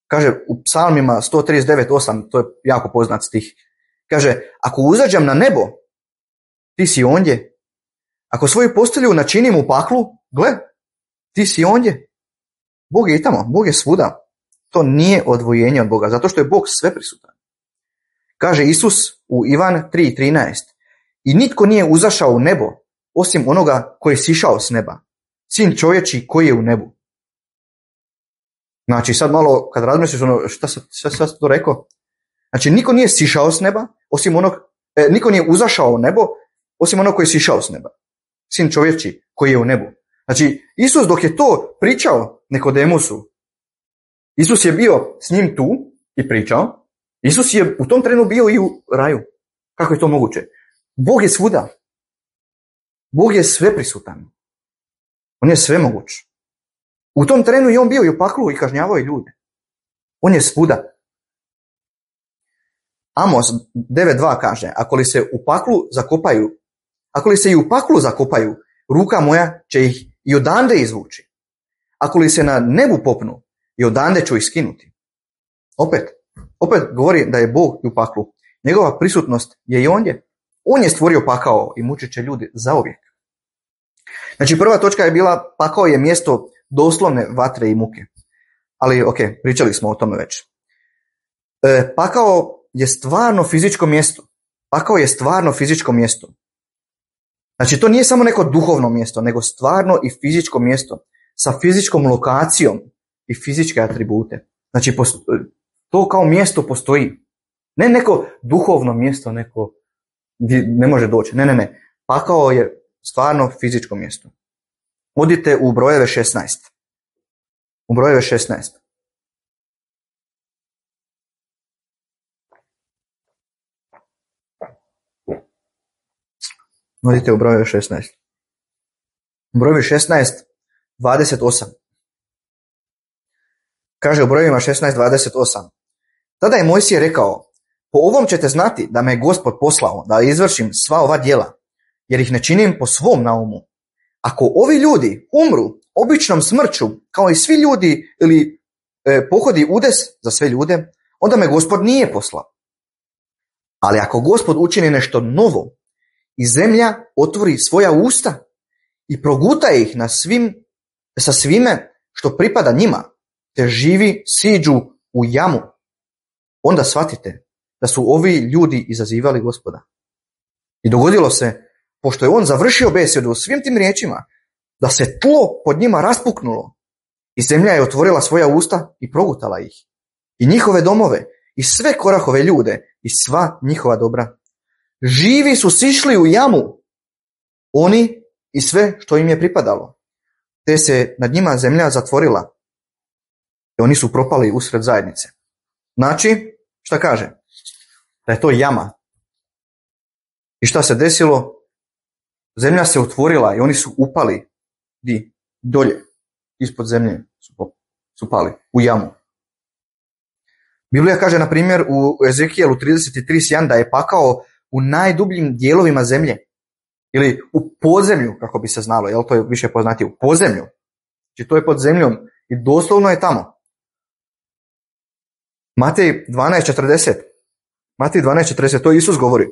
Kaže u psalmima sto trideset devet osam, to je jako poznat stih. Kaže, ako uzađem na nebo, ti si ondje. Ako svoju postelju načinim u paklu, gle, ti si ondje. Bog je i tamo, Bog je svuda. To nije odvojenje od Boga, zato što je Bog sve prisutan. Kaže Isus u Ivan tri trinaest. I nitko nije uzašao u nebo, osim onoga koji je sišao s neba. Sin čovječi koji je u nebu. Znači, sad malo, kad razmisliš ono, šta sam šta, šta to rekao? Znači, niko nije sišao s neba, osim onog, e, niko nije uzašao u nebo, osim onog koji je sišao s neba. Sin čovječi koji je u nebu. Znači, Isus dok je to pričao Nikodemusu, Isus je bio s njim tu i pričao. Isus je u tom trenu bio i u raju. Kako je to moguće? Bog je svuda. Bog je sve prisutan. On je svemoguć. U tom trenu je on bio i u paklu i kažnjavao je ljude. On je svuda. Amos devet dva kaže, ako li se u paklu zakopaju, ako li se i u paklu zakopaju, ruka moja će ih i odande izvući. Ako li se na nebu popnu, i odande ću ih skinuti. Opet, opet govori da je Bog u paklu. Njegova prisutnost je i ondje. On je stvorio pakao i mučit će ljudi zauvijek. Znači, prva točka je bila, pakao je mjesto doslovne vatre i muke. Ali, ok, pričali smo o tome već. E, pakao je stvarno fizičko mjesto. Pakao je stvarno fizičko mjesto. Znači, to nije samo neko duhovno mjesto, nego stvarno i fizičko mjesto sa fizičkom lokacijom i fizičke atribute. Znači, to kao mjesto postoji. Ne neko duhovno mjesto, neko gdje ne može doći. Ne, ne, ne. Pakao je stvarno fizičko mjesto. Odite u brojeve šesnaest. U brojeve šesnaest. Odite u brojeve šesnaest. U brojevi šesnaest, dvadeset osam. Kaže u brojevima šesnaest, dvadeset osam. Tada je Mojsije rekao, po ovom ćete znati da me je Gospod poslao da izvršim sva ova djela, jer ih ne činim po svom naumu. Ako ovi ljudi umru običnom smrću, kao i svi ljudi, ili e, pohodi udes za sve ljude, onda me Gospod nije poslao. Ali ako Gospod učini nešto novo i zemlja otvori svoja usta i proguta ih na svim, sa svime što pripada njima, te živi siđu u jamu, onda shvatite da su ovi ljudi izazivali Gospoda. I dogodilo se, pošto je on završio besjedu svim tim riječima, da se tlo pod njima raspuknulo i zemlja je otvorila svoja usta i progutala ih. I njihove domove, i sve Korahove ljude, i sva njihova dobra. Živi su sišli u jamu, oni i sve što im je pripadalo, te se nad njima zemlja zatvorila. I oni su propali usred zajednice. Znači, šta kaže? Da je to jama. I šta se desilo? Zemlja se otvorila i oni su upali di dolje, ispod zemlje su, su pali u jamu. Biblija kaže, na primjer, u Ezekijelu trideset tri jedan da je pakao u najdubljim dijelovima zemlje. ili u podzemlju, kako bi se znalo, jel to je više poznatije, u podzemlju. Znači to je pod zemljom i doslovno je tamo. Matej dvanaest četrdeset. Matej dvanaest četrdeset, to Isus govori.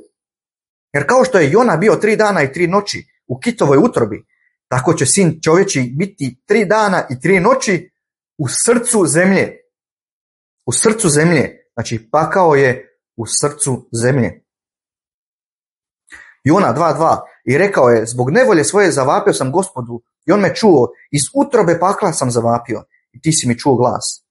Jer kao što je Jona bio tri dana i tri noći u kitovoj utrobi, tako će sin čovječji biti tri dana i tri noći u srcu zemlje. U srcu zemlje. Znači pakao je u srcu zemlje. Jona dva dva. I rekao je, zbog nevolje svoje zavapio sam Gospodu i on me čuo, iz utrobe pakla sam zavapio i ti si mi čuo glas.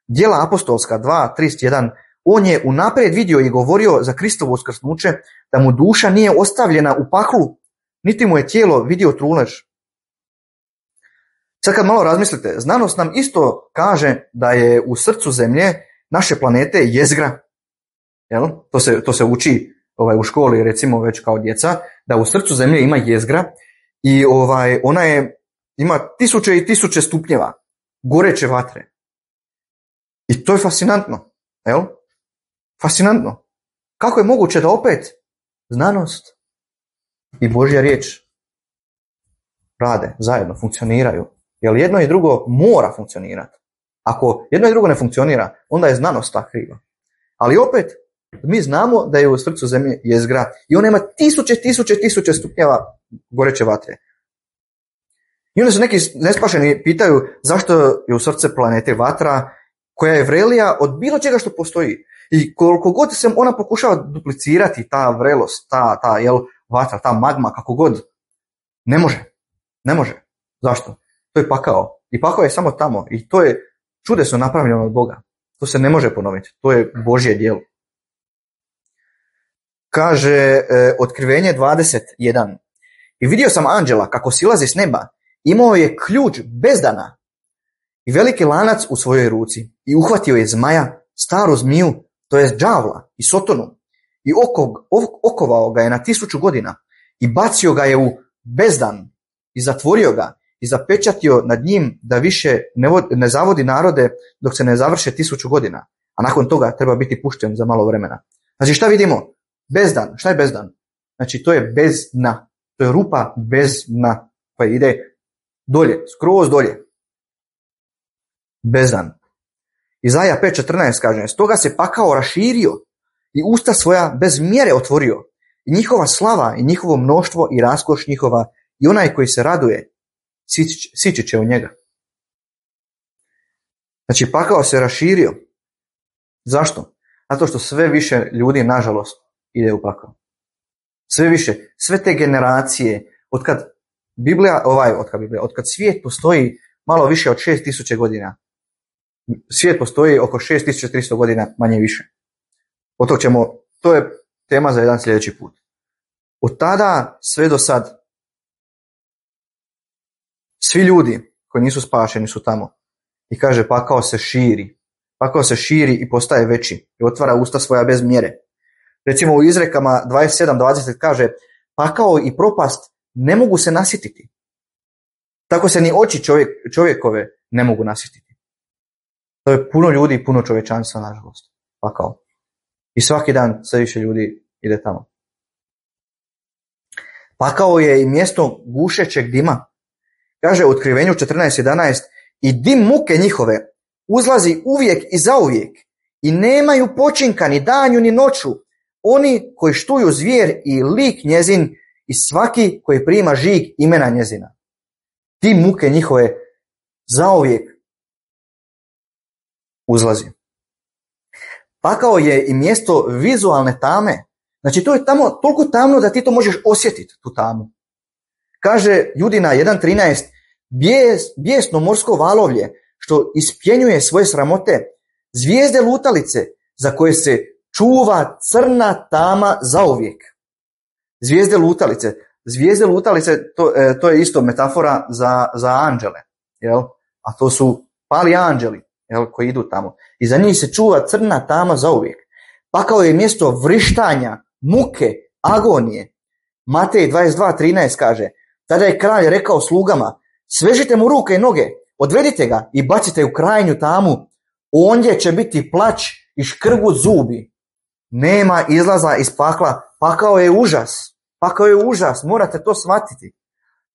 Djela apostolska dva trideset jedan. On je unaprijed vidio i govorio za Kristovo uskrsnuće, da mu duša nije ostavljena u paklu, niti mu je tijelo vidio trulež. Sad kad malo razmislite, znanost nam isto kaže da je u srcu zemlje naše planete jezgra. Jel? To se, to se uči ovaj, u školi, recimo već kao djeca, da u srcu zemlje ima jezgra i ovaj, ona je, ima tisuće i tisuće stupnjeva goreće vatre. I to je fascinantno. Jel? Fascinantno. Kako je moguće da opet znanost i Božja riječ rade zajedno, funkcioniraju? Jer jedno i drugo mora funkcionirati. Ako jedno i drugo ne funkcionira, onda je znanost ta kriva. Ali opet, mi znamo da je u srcu zemlje jezgra i ona ima tisuće, tisuće, tisuće stupnjeva goreće vatre. I onda se neki nespašeni pitaju zašto je u srce planete vatra koja je vrelija od bilo čega što postoji. I koliko god se ona pokušava duplicirati, ta vrelost, ta, ta jel, vatra, ta magma, kako god, ne može. Ne može. Zašto? To je pakao. I pakao je samo tamo. I to je čudesno napravljeno od Boga. To se ne može ponoviti. To je Božje djelo. Kaže e, Otkrivenje dvadeset jedan. I vidio sam anđela kako silazi s neba. Imao je ključ bezdana i veliki lanac u svojoj ruci. I uhvatio je zmaja, staru zmiju, to je đavla i sotonu. I oko, okovao ga je na tisuću godina. I bacio ga je u bezdan. I zatvorio ga. I zapečatio nad njim da više ne, vod, ne zavodi narode dok se ne završe tisuću godina. A nakon toga treba biti pušten za malo vremena. Znači šta vidimo? Bezdan. Šta je bezdan? Znači to je bez dna. To je rupa bez dna koja ide dolje, skroz dolje. Bezdan. Izaja pet četrnaest kaže, stoga se pakao raširio i usta svoja bez mjere otvorio. I njihova slava i njihovo mnoštvo i raskoš njihova i onaj koji se raduje sići će u njega. Znači pakao se raširio. Zašto? Zato što sve više ljudi, nažalost, ide u pakao. Sve više, sve te generacije, otkad Biblija, ovaj, otkad Biblija, otkad svijet postoji malo više od šest tisuća godina, svijet postoji oko šest tisuća tristo godina, manje više. Od tog ćemo, to je tema za jedan sljedeći put. Od tada sve do sad, svi ljudi koji nisu spašeni su tamo. I kaže, pakao se širi. Pakao se širi i postaje veći. I otvara usta svoja bez mjere. Recimo u izrekama dvadeset sedam dvadeset kaže, pakao i propast ne mogu se nasititi. Tako se ni oči čovjek, čovjekove ne mogu nasititi. To je puno ljudi i puno čovječanstva, nažalost. Pakao. I svaki dan sve više ljudi ide tamo. Pakao je i mjesto gušećeg dima. Kaže u Otkrivenju četrnaest jedanaest, i dim muke njihove uzlazi uvijek i zauvijek i nemaju počinka ni danju ni noću, oni koji štuju zvijer i lik njezin i svaki koji prima žig imena njezina. Dim muke njihove zauvijek uzlazi. Pakao je i mjesto vizualne tame. Znači to je tamo toliko tamno da ti to možeš osjetiti, tu tamu. Kaže Judina jedan trinaest, bijes, bijesno morsko valovlje što ispjenjuje svoje sramote, zvijezde lutalice za koje se čuva crna tama zauvijek. Zvijezde lutalice. Zvijezde lutalice, to, e, to je isto metafora za, za anđele. Jel? A to su pali anđeli, jel, koji idu tamo. I za njih se čuva crna tama zauvijek. Pakao je mjesto vrištanja, muke, agonije. Matej dvadeset dva trinaest kaže, tada je kralj rekao slugama, svežite mu ruke i noge, odvedite ga i bacite u krajnju tamu, ondje će biti plać i škrgut zubi. Nema izlaza iz pakla, pakao je užas. Pakao je užas, morate to shvatiti.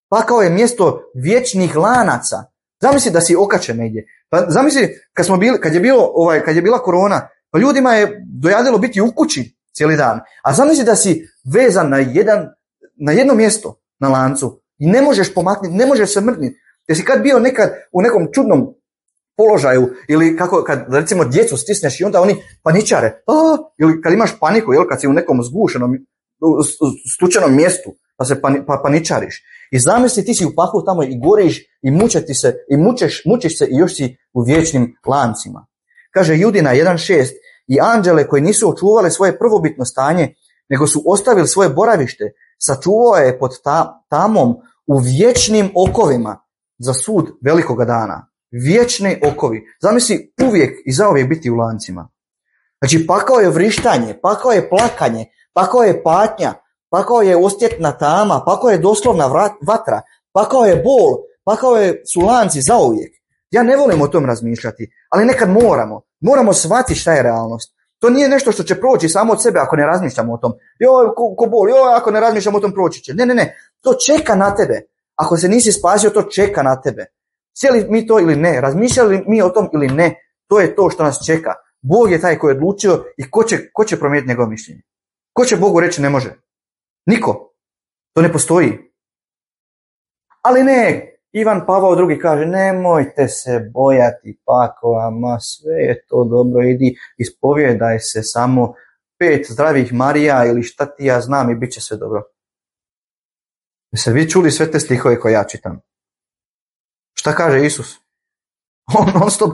Pakao je mjesto vječnih lanaca. Zamisli da si okačen negdje. Pa zamisli kad smo bili, kad je bilo ovaj, kad je bila korona, pa ljudima je dojadilo biti u kući cijeli dan. A zamisli da si vezan na jedan, na jedno mjesto na lancu i ne možeš pomaknuti, ne možeš se mrtniti. Jesi kad bio nekad u nekom čudnom položaju ili kako kad recimo djecu stisneš i onda oni paničare. A, ili kad imaš paniku, jel, kad si u nekom zgušenom stučenom mjestu pa se pani, pa paničariš. I zamisli ti si u paklu tamo i goriš i mučeti se i mučeš, mučiš se i još si u vječnim lancima. Kaže Judina jedan šest i anđele koji nisu očuvali svoje prvobitno stanje, nego su ostavili svoje boravište, sačuvao je pod ta, tamom u vječnim okovima za sud velikoga dana. Vječni okovi. Zamisli uvijek i zauvijek biti u lancima. Znači pakao je vrištanje, pakao je plakanje, pakao je patnja, pakao je osjetna tama, pakao je doslovna vatra, pakao je bol, pakao je su lanci zauvijek. Ja ne volim o tom razmišljati, ali nekad moramo. Moramo shvatiti šta je realnost. To nije nešto što će proći samo od sebe ako ne razmišljamo o tom. Joj, ko, ko bol, joj, ako ne razmišljamo o tom proći će. Ne, ne, ne. To čeka na tebe. Ako se nisi spasio, to čeka na tebe. Cijeli mi to ili ne, razmišljali mi o tom ili ne, to je to što nas čeka. Bog je taj koji je odlučio i ko će, ko će promijeniti njegovo mišljenje? Ko će Bogu reći ne može? Niko. To ne postoji. Ali ne, Ivan Pavao drugi kaže, nemojte se bojati pakova, ma sve je to dobro, idi, ispovjedaj se samo pet zdravih Marija ili šta ti ja znam i bit će sve dobro. Jeste vi čuli sve te stihove koje ja čitam? Šta kaže Isus? On non stop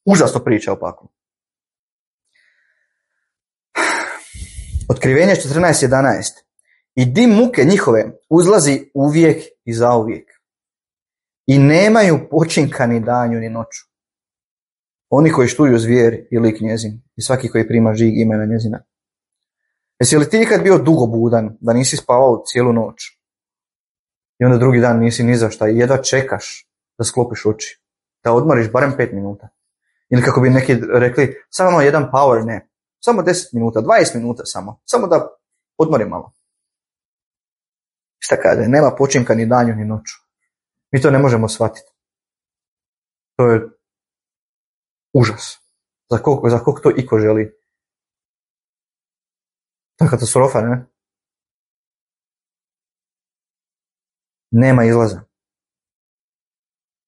užasno priča o paklu. Otkrivenje četrnaest jedanaest. I dim muke njihove uzlazi uvijek i zauvijek. I nemaju počinka ni danju ni noću. Oni koji štuju zvijer i lik njezin. I svaki koji prima žig imena njezina. Jesi li ti ikad bio dugo budan da nisi spavao cijelu noć? I onda drugi dan nisi ni za šta i jedva čekaš da sklopiš oči. Da odmoriš barem pet minuta. Ili kako bi neki rekli, samo jedan power nap. Samo deset minuta, dvadeset minuta samo. Samo da odmorim malo. Šta kaže? Nema počinka ni danju ni noću. Mi to ne možemo shvatiti. To je užas. Za koliko, za koliko to iko želi. To je katastrofa, ne? Nema izlaza.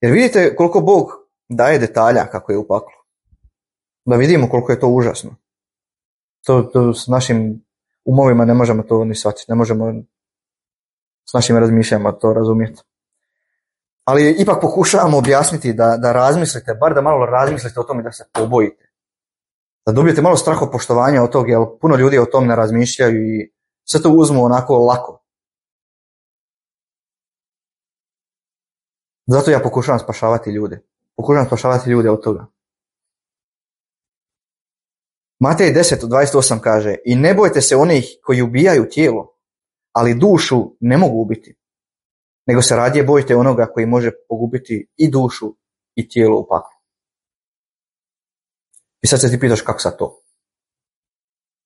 Jer vidite koliko Bog daje detalja kako je u paklu. Da vidimo koliko je to užasno. To, to s našim umovima ne možemo to ni shvatiti. Ne možemo s našim razmišljanjima to razumjeti. Ali ipak pokušavamo objasniti da, da razmislite, bar da malo razmislite o tome da se pobojite. Da dobijete malo strahopoštovanja od toga, jer puno ljudi o tom ne razmišljaju i sve to uzmu onako lako. Zato ja pokušavam spašavati ljude. Pokušavam spašavati ljude od toga. Matej deset dvadeset osam kaže, i ne bojte se onih koji ubijaju tijelo, ali dušu ne mogu ubiti. Nego se radije bojite onoga koji može pogubiti i dušu i tijelo u paklu. I sad se ti pitaš kako sad to?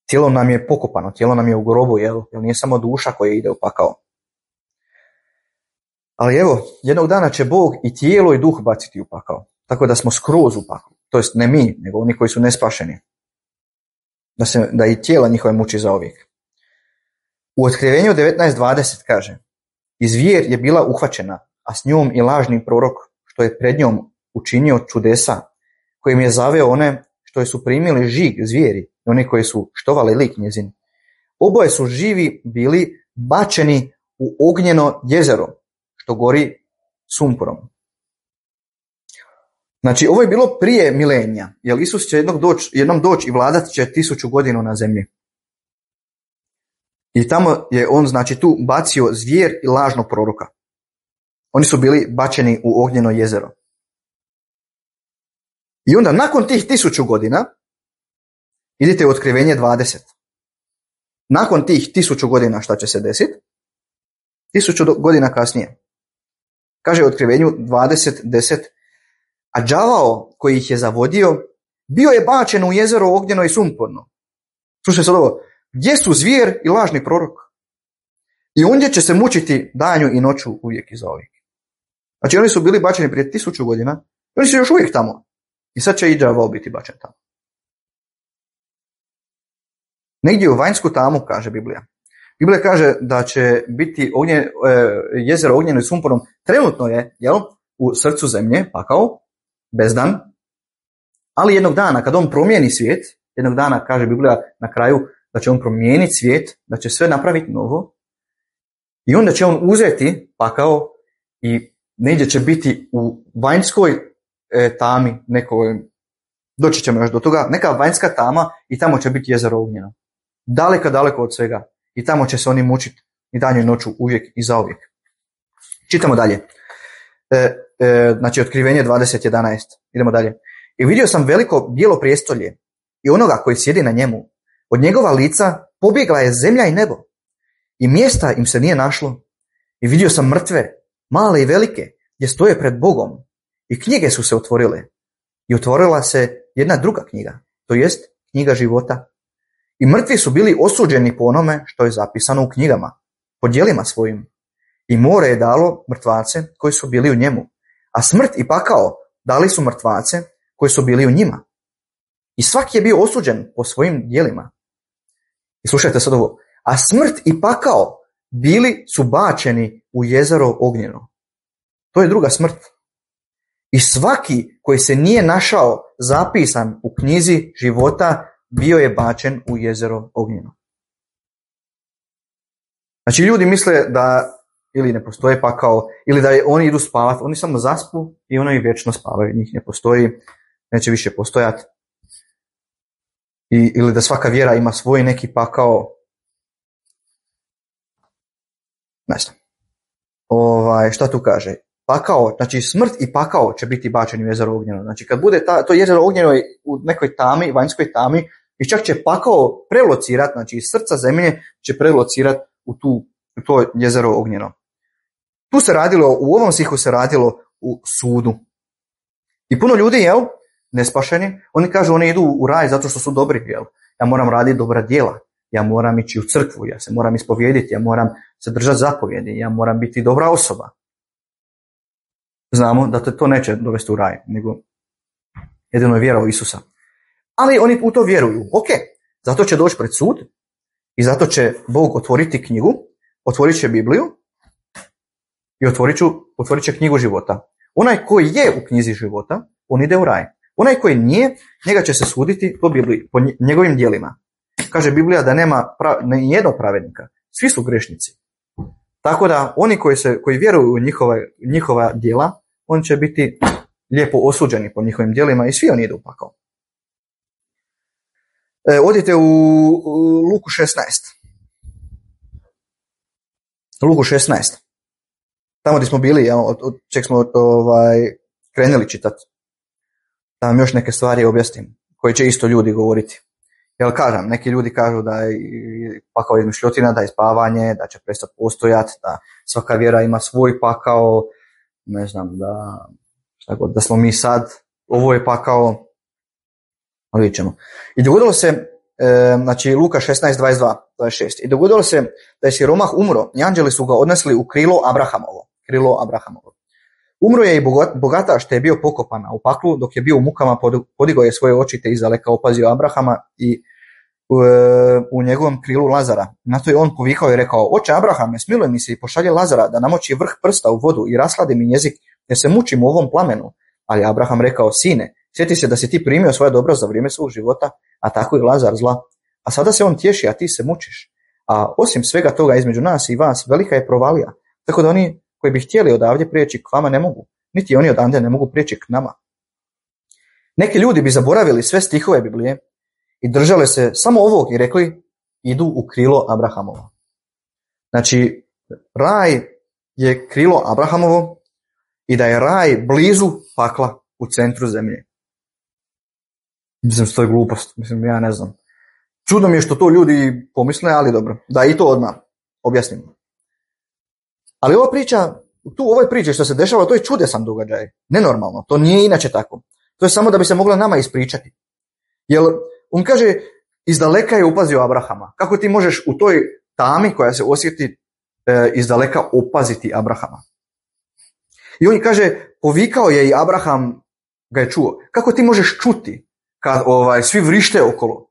Tijelo nam je pokopano, tijelo nam je u grobu, jel? Jer nije samo duša koja ide u pakao. Ali evo, jednog dana će Bog i tijelo i duh baciti u pakao. Tako da smo skroz u paklu. To jest ne mi, nego oni koji su nespašeni. Da, se, da i tijela njihove muči zauvijek. U Otkrivenju devetnaest dvadeset kaže, i zvijer je bila uhvaćena, a s njom i lažni prorok, što je pred njom učinio čudesa, kojim je zaveo one što su primili žig zvijeri i oni koji su štovali lik njezin. Oboje su živi bili bačeni u ognjeno jezero, što gori sumporom. Znači, ovo je bilo prije milenija, jer Isus će jednog doći, jednom doći i vladat će tisuću godinu na zemlji. I tamo je on, znači, tu bacio zvijer i lažnog proroka. Oni su bili bačeni u ognjeno jezero. I onda, nakon tih tisuću godina, idite u Otkrivenje dvadeset. Nakon tih tisuću godina šta će se desiti? Tisuću godina kasnije. Kaže u Otkrivenju dvadeset deset, a đavao koji ih je zavodio, bio je bačen u jezero ognjeno i sumporno. Slušaj sad ovo, gdje su zvijer i lažni prorok? I ondje će se mučiti danju i noću uvijek i zauvijek. Znači oni su bili bačeni prije tisuću godina, oni su još uvijek tamo. I sad će i đavo biti bačen tamo. Negdje u vanjsku tamu, kaže Biblija. Biblija kaže da će biti ognjen, jezero ognjeno i sumporom, trenutno je, jel, u srcu zemlje, pakao, bezdan, ali jednog dana, kad on promijeni svijet, jednog dana, kaže Biblija na kraju, da će on promijeniti svijet, da će sve napraviti novo, i onda će on uzeti pakao i negdje će biti u vanjskoj e, tami, nekoj, doći ćemo još do toga, neka vanjska tama i tamo će biti jezero ognjeno. Daleko, daleko od svega. I tamo će se oni mučiti i danju i noću uvijek i zauvijek. Čitamo dalje. E, e, znači, Otkrivenje dvadeset jedanaest. Idemo dalje. I vidio sam veliko bijelo prijestolje i onoga koji sjedi na njemu. Od njegova lica pobjegla je zemlja i nebo. I mjesta im se nije našlo. I vidio sam mrtve, male i velike, gdje stoje pred Bogom. I knjige su se otvorile. I otvorila se jedna druga knjiga, to jest knjiga života. I mrtvi su bili osuđeni po onome što je zapisano u knjigama, po djelima svojim. I more je dalo mrtvace koji su bili u njemu. A smrt i pakao dali su mrtvace koji su bili u njima. I svaki je bio osuđen po svojim djelima. I slušajte sad ovo. A smrt i pakao bili su bačeni u jezero ognjeno. To je druga smrt. I svaki koji se nije našao zapisan u knjizi života bio je bačen u jezero ognjeno. Znači ljudi misle da ili ne postoje pakao, ili da je, oni idu spavati, oni samo zaspu i oni vječno spavaju, njih ne postoji, neće više postojati. I, ili da svaka vjera ima svoj neki pakao. Ne znam. Ovaj, šta tu kaže? Pakao, znači smrt i pakao će biti bačeni u jezero ognjeno. Znači kad bude ta, to jezero ognjeno u nekoj tami, vanjskoj tami, i čak će pakao prelocirati, znači iz srca zemlje će prelocirati u, tu, u to jezero ognjeno. Tu se radilo, u ovom stihu se radilo u sudu. I puno ljudi, jel, nespašeni, oni kažu oni idu u raj zato što su dobri, jel. Ja moram raditi dobra djela, ja moram ići u crkvu, ja se moram ispovijediti, ja moram se držati zapovjedi, ja moram biti dobra osoba. Znamo da te to neće dovesti u raj, nego jedino je vjera u Isusa. Ali oni u to vjeruju. Ok, zato će doći pred sud i zato će Bog otvoriti knjigu, otvorit će Bibliju i otvorit, ću, otvorit će knjigu života. Onaj koji je u knjizi života, on ide u raj. Onaj koji nije, njega će se suditi po Bibliji, po njegovim djelima. Kaže Biblija da nema pra, ne jednog pravednika. Svi su grešnici. Tako da oni koji, se, koji vjeruju u njihova, njihova djela, oni će biti lijepo osuđeni po njihovim djelima i svi oni idu u pakao. E, odite u, u Luku šesnaest. Luku šesnaest. Tamo gdje smo bili, ja, od, od čeg smo ovaj, krenuli čitati. Da vam još neke stvari objasnim, koje će isto ljudi govoriti. Jel kažem, neki ljudi kažu da je pakao izmišljotina, da je spavanje, da će prestati postojati, da svaka vjera ima svoj pakao, ne znam, da, šta god, da smo mi sad, ovo je pakao, ali vidjet ćemo. I dogodilo se, e, znači Luka šesnaest, dvadeset dva, dvadeset šest, i dogodilo se da je siromah umro i anđeli su ga odnesli u krilo Abrahamovo, krilo Abrahamovo. Umro je i bogataš te je bio pokopan, a u paklu dok je bio u mukama podigao je svoje oči te izdaleka opazio Abrahama i u, u njegovom krilu Lazara. Na to je on povikao i rekao: Oče Abrahame, smiluj mi se i pošalje Lazara da namoči vrh prsta u vodu i rasladi mi jezik jer se mučim u ovom plamenu. Ali Abraham rekao: Sine, sjeti se da si ti primio svoje dobro za vrijeme svog života, a tako i Lazar zla. A sada se on tješi, a ti se mučiš. A osim svega toga između nas i vas velika je provalija, tako da oni koji bi htjeli odavdje prijeći k vama ne mogu, niti oni odande ne mogu prijeći k nama. Neki ljudi bi zaboravili sve stihove Biblije i držali se samo ovog i rekli: idu u krilo Abrahamovo. Znači, raj je krilo Abrahamovo i da je raj blizu pakla u centru zemlje. Mislim što je glupost, mislim ja ne znam. Čudno mi je što to ljudi pomisle, ali dobro, da i to odmah objasnimo. Ali ova priča, tu u ovoj priči što se dešava, to je čudesan događaj, nenormalno, to nije inače tako. To je samo da bi se mogla nama ispričati. Jer on kaže, izdaleka je upazio Abrahama. Kako ti možeš u toj tami koja se osjeti e, iz daleka opaziti Abrahama. I on kaže, povikao je i Abraham ga je čuo. Kako ti možeš čuti kad ovaj, svi vrište okolo?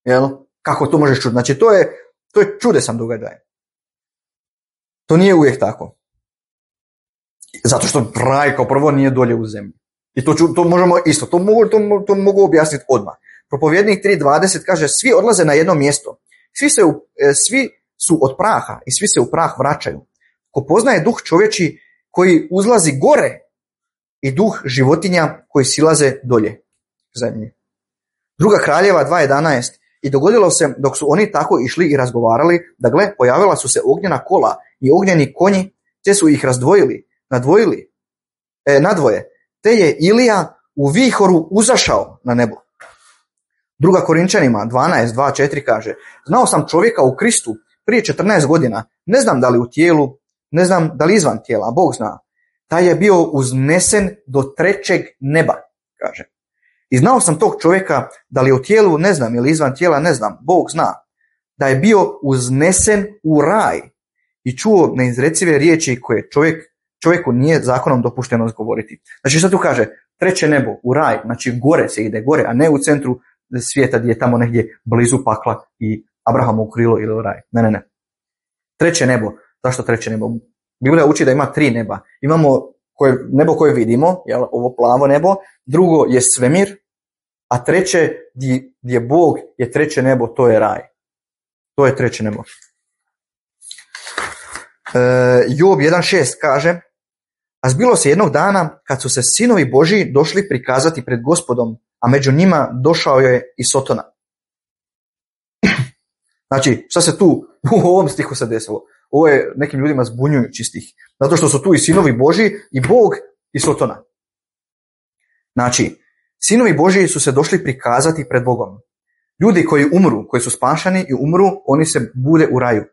Jel? Kako to možeš čuti? Znači, to je, to je čudesan događaj. To nije uvijek tako. Zato što raj kao prvo nije dolje u zemlji. I to, to možemo isto, to mogu, to, to mogu objasniti odmah. Propovjednik tri dvadeset kaže, svi odlaze na jedno mjesto. Svi, se u, svi su od praha i svi se u prah vraćaju. Ko poznaje duh čovječi koji uzlazi gore i duh životinja koji silaze dolje zemlje. Druga Kraljeva dva jedanaest. I dogodilo se dok su oni tako išli i razgovarali, da gle, pojavila su se ognjena kola i ognjeni konji, te su ih razdvojili, nadvojili, e, nadvoje. Te je Ilija u vihoru uzašao na nebo. Druga Korinčanima dvanaest dva četiri kaže, znao sam čovjeka u Kristu prije četrnaest godina, ne znam da li u tijelu, ne znam da li izvan tijela, Bog zna. Taj je bio uznesen do trećeg neba, kaže. I znao sam tog čovjeka da li u tijelu, ne znam, ili izvan tijela, ne znam, Bog zna. Da je bio uznesen u raj i čuo neizrecive riječi koje čovjek, čovjeku nije zakonom dopušteno govoriti. Znači što tu kaže? Treće nebo, u raj, znači gore se ide, gore, a ne u centru svijeta gdje je tamo negdje blizu pakla i Abrahamu krilo ili u raj. Ne, ne, ne. Treće nebo. Zašto treće nebo? Biblija uči da ima tri neba. Imamo koje, nebo koje vidimo, jel, ovo plavo nebo, drugo je svemir, a treće gdje, gdje Bog je treće nebo, to je raj. To je treće nebo. E, Job jedan šest kaže, a zbilo se jednog dana kad su se sinovi Božji došli prikazati pred Gospodom, a među njima došao je i Sotona. Znači, šta se tu u ovom stihu se desilo? Ovo je nekim ljudima zbunjujući stih. Zato što su tu i sinovi Božji i Bog i Sotona. Znači, sinovi Božji su se došli prikazati pred Bogom. Ljudi koji umru, koji su spašani i umru, oni se bude u raju.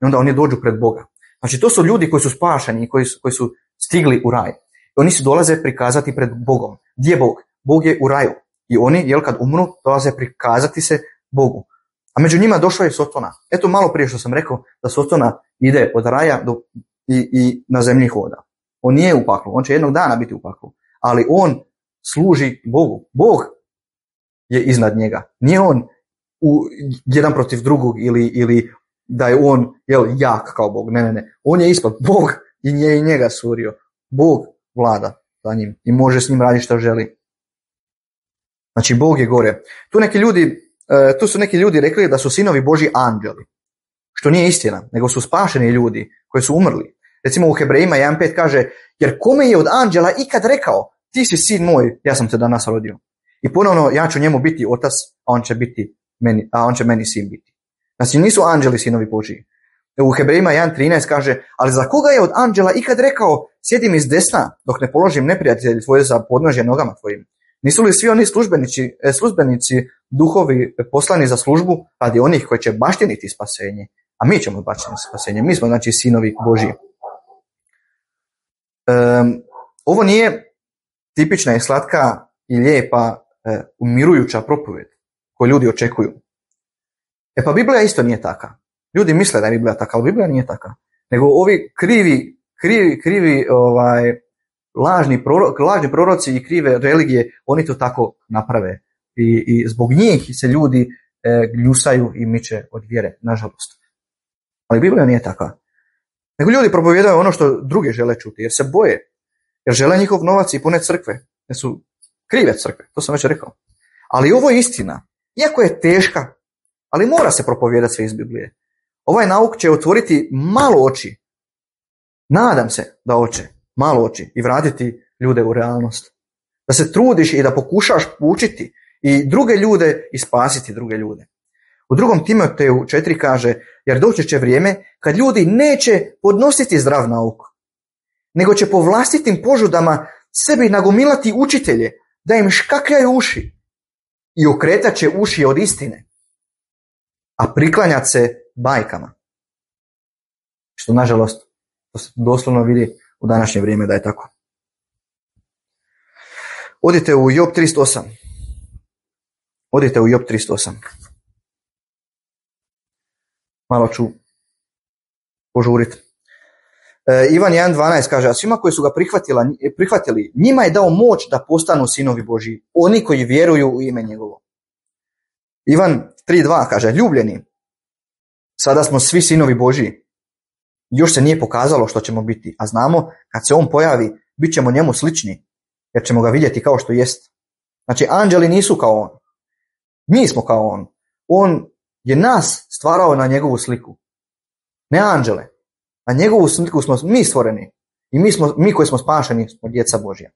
I onda oni dođu pred Boga. Znači, to su ljudi koji su spašani i koji su, koji su stigli u raj. I oni se dolaze prikazati pred Bogom. Gdje je Bog? Bog je u raju. I oni, jel, kad umru, dolaze prikazati se Bogu. A među njima došao je Sotona. Eto malo prije što sam rekao da Sotona ide od raja do, i, i na zemlji hoda. On nije u paklu, on će jednog dana biti u paklu. Ali on služi Bogu. Bog je iznad njega. Nije on u, jedan protiv drugog ili, ili da je on jel, jak kao Bog. Ne, ne, ne. On je ispod. Bog i nje i njega stvorio. Bog vlada za njim i može s njim raditi što želi. Znači Bog je gore. Tu neki ljudi Tu su neki ljudi rekli da su sinovi Božji anđeli, što nije istina, nego su spašeni ljudi koji su umrli. Recimo u Hebrejima jedan pet kaže, jer kome je od anđela ikad rekao, ti si sin moj, ja sam te danas rodio. I ponovno ja ću njemu biti otac, a on će, biti meni, a on će meni sin biti. Znači nisu anđeli sinovi Božji. U Hebrejima jedan trinaest kaže, ali za koga je od anđela ikad rekao, sjedi mi s desna dok ne položim neprijatelji tvoje za podnožje nogama tvojim. Nisu li svi oni službenici, službenici duhovi poslani za službu radi onih koji će baštiniti spasenje? A mi ćemo baštiniti spasenje. Mi smo znači sinovi Božji. Um, ovo nije tipična i slatka i lijepa e, umirujuća propovijed koju ljudi očekuju. E pa Biblija isto nije taka. Ljudi misle da je Biblija taka, ali Biblija nije taka. Nego ovi krivi, krivi, krivi ovaj, Lažni, proro, lažni proroci i krive religije, oni to tako naprave. I, i zbog njih se ljudi e, gljusaju i miče od vjere, nažalost. Ali Biblija nije taka. Nego ljudi propovijedaju ono što drugi žele čuti, jer se boje. Jer žele njihov novac i pune crkve. Jer su krive crkve, to sam već rekao. Ali ovo je istina. Iako je teška, ali mora se propovijedati sve iz Biblije. Ovaj nauk će otvoriti malo oči. Nadam se da hoće. Malo oči i vratiti ljude u realnost. Da se trudiš i da pokušaš učiti i druge ljude i spasiti druge ljude. U drugom Timoteju četiri kaže, jer doći će vrijeme kad ljudi neće podnositi zdrav nauk, nego će po vlastitim požudama sebi nagomilati učitelje, da im škakljaju uši i okretat će uši od istine, a priklanjat se bajkama. Što nažalost to se doslovno vidi u današnje vrijeme da je tako. Odite u Job trideset osam. Odite u Job trideset osam. Malo ću požuriti. E, Ivan jedan dvanaest kaže, a svima koji su ga prihvatili, njima je dao moć da postanu sinovi Božji, oni koji vjeruju u ime njegovo. Ivan tri dva kaže, ljubljeni, sada smo svi sinovi Božji. Još se nije pokazalo što ćemo biti, a znamo kad se on pojavi, bit ćemo njemu slični, jer ćemo ga vidjeti kao što jest. Znači, anđeli nisu kao on. Mi smo kao on. On je nas stvarao na njegovu sliku. Ne anđele. Na njegovu sliku smo mi stvoreni. I mi, smo, mi koji smo spašeni smo djeca Božja.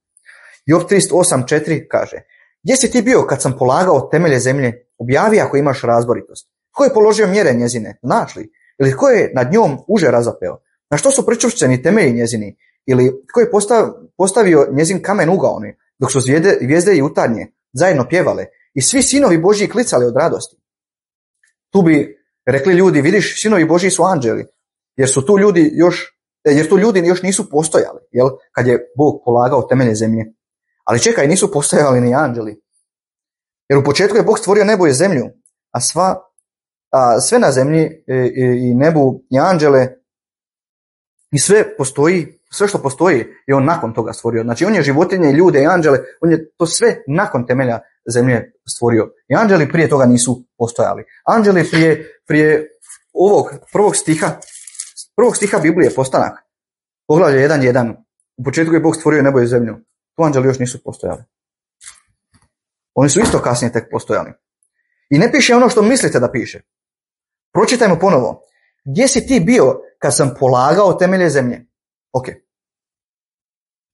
Job trideset osam četiri kaže, gdje si ti bio kad sam polagao temelje zemlje? Objavi ako imaš razboritost. Ko je položio mjere njezine? Znaš li? Ili ko je nad njom uže razapeo? Na što su pričvršćeni temelji njezini? Ili ko je postavio njezin kamen ugaoni, dok su zvijezde, zvijezde i jutarnje zajedno pjevale i svi sinovi Božji klicali od radosti? Tu bi rekli ljudi, vidiš, sinovi Božji su anđeli, jer su tu ljudi još, jer tu ljudi još nisu postojali, jel? Kad je Bog polagao temelje zemlje. Ali čekaj, nisu postojali ni anđeli. Jer u početku je Bog stvorio nebo i zemlju, a sva a sve na zemlji i, i, i nebu i anđele i sve postoji, sve što postoji je on nakon toga stvorio. Znači on je životinje, ljude i anđele, on je to sve nakon temelja zemlje stvorio. I anđeli prije toga nisu postojali. Anđeli prije, prije ovog prvog stiha, prvog stiha Biblije, Postanak, poglavlje jedan jedan, u početku je Bog stvorio nebo i zemlju. Tu anđeli još nisu postojali. Oni su isto kasnije tek postojali. I ne piše ono što mislite da piše. Pročitajmo ponovo. Gdje si ti bio kad sam polagao temelje zemlje? Ok.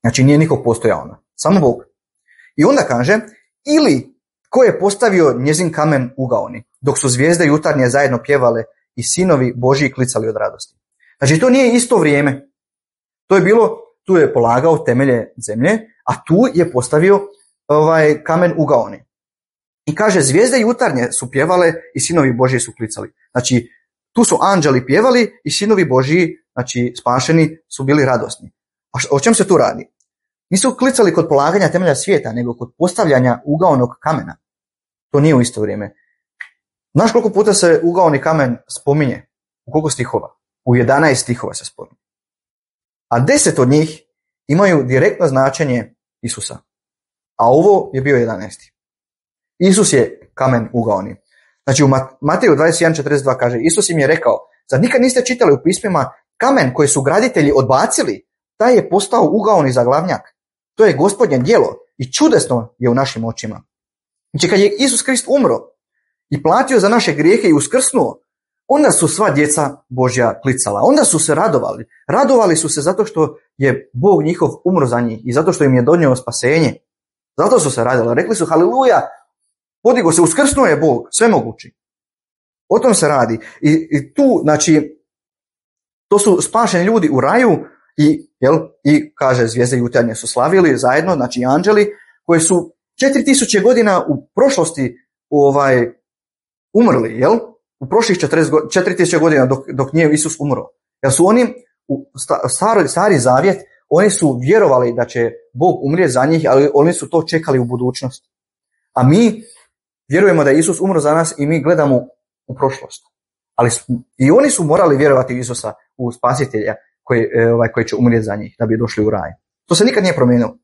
Znači nije niko postojao. Samo Bog. I onda kaže, ili ko je postavio njezin kamen ugaoni, dok su zvijezde jutarnje zajedno pjevale i sinovi Božji klicali od radosti. Znači to nije isto vrijeme. To je bilo, tu je polagao temelje zemlje, a tu je postavio ovaj kamen ugaoni. I kaže, zvijezde jutarnje su pjevale i sinovi Božji su klicali. Znači, tu su anđeli pjevali i sinovi Božji, znači spašeni, su bili radosni. A o čem se tu radi? Nisu klicali kod polaganja temelja svijeta, nego kod postavljanja ugaonog kamena. To nije u isto vrijeme. Znaš koliko puta se ugaoni kamen spominje? U koliko stihova? U jedanaest stihova se spominje. A deset od njih imaju direktno značenje Isusa. A ovo je bio jedanaesti. Isus je kamen ugaoni. Znači u Mateju dvadeset jedan četrdeset dva kaže, Isus im je rekao, zar nikad niste čitali u pismima, kamen koji su graditelji odbacili, taj je postao ugaoni za glavnjak. To je Gospodnje djelo i čudesno je u našim očima. Znači kad je Isus Krist umro i platio za naše grijehe i uskrsnuo, onda su sva djeca Božja klicala. Onda su se radovali. Radovali su se zato što je Bog njihov umro za njih i zato što im je donio spasenje. Zato su se radili. Rekli su haleluja, podigo se, uskrsnuo je Bog, sve mogući. O tom se radi. I, i tu, znači, to su spašeni ljudi u raju i, jel, i kaže, zvijezde jutarnje su slavili zajedno, znači anđeli, koji su četiri tisuće godina u prošlosti ovaj, umrli, jel? U prošlih četiri tisuće godina dok, dok nije Isus umro. Jer su oni, u stari, stari zavjet, oni su vjerovali da će Bog umrijeti za njih, ali oni su to čekali u budućnost. A mi vjerujemo da je Isus umro za nas i mi gledamo u prošlost. Ali i oni su morali vjerovati u Isusa, u spasitelja koji, ovaj, koji će umrijeti za njih da bi došli u raj. To se nikad nije promijenilo.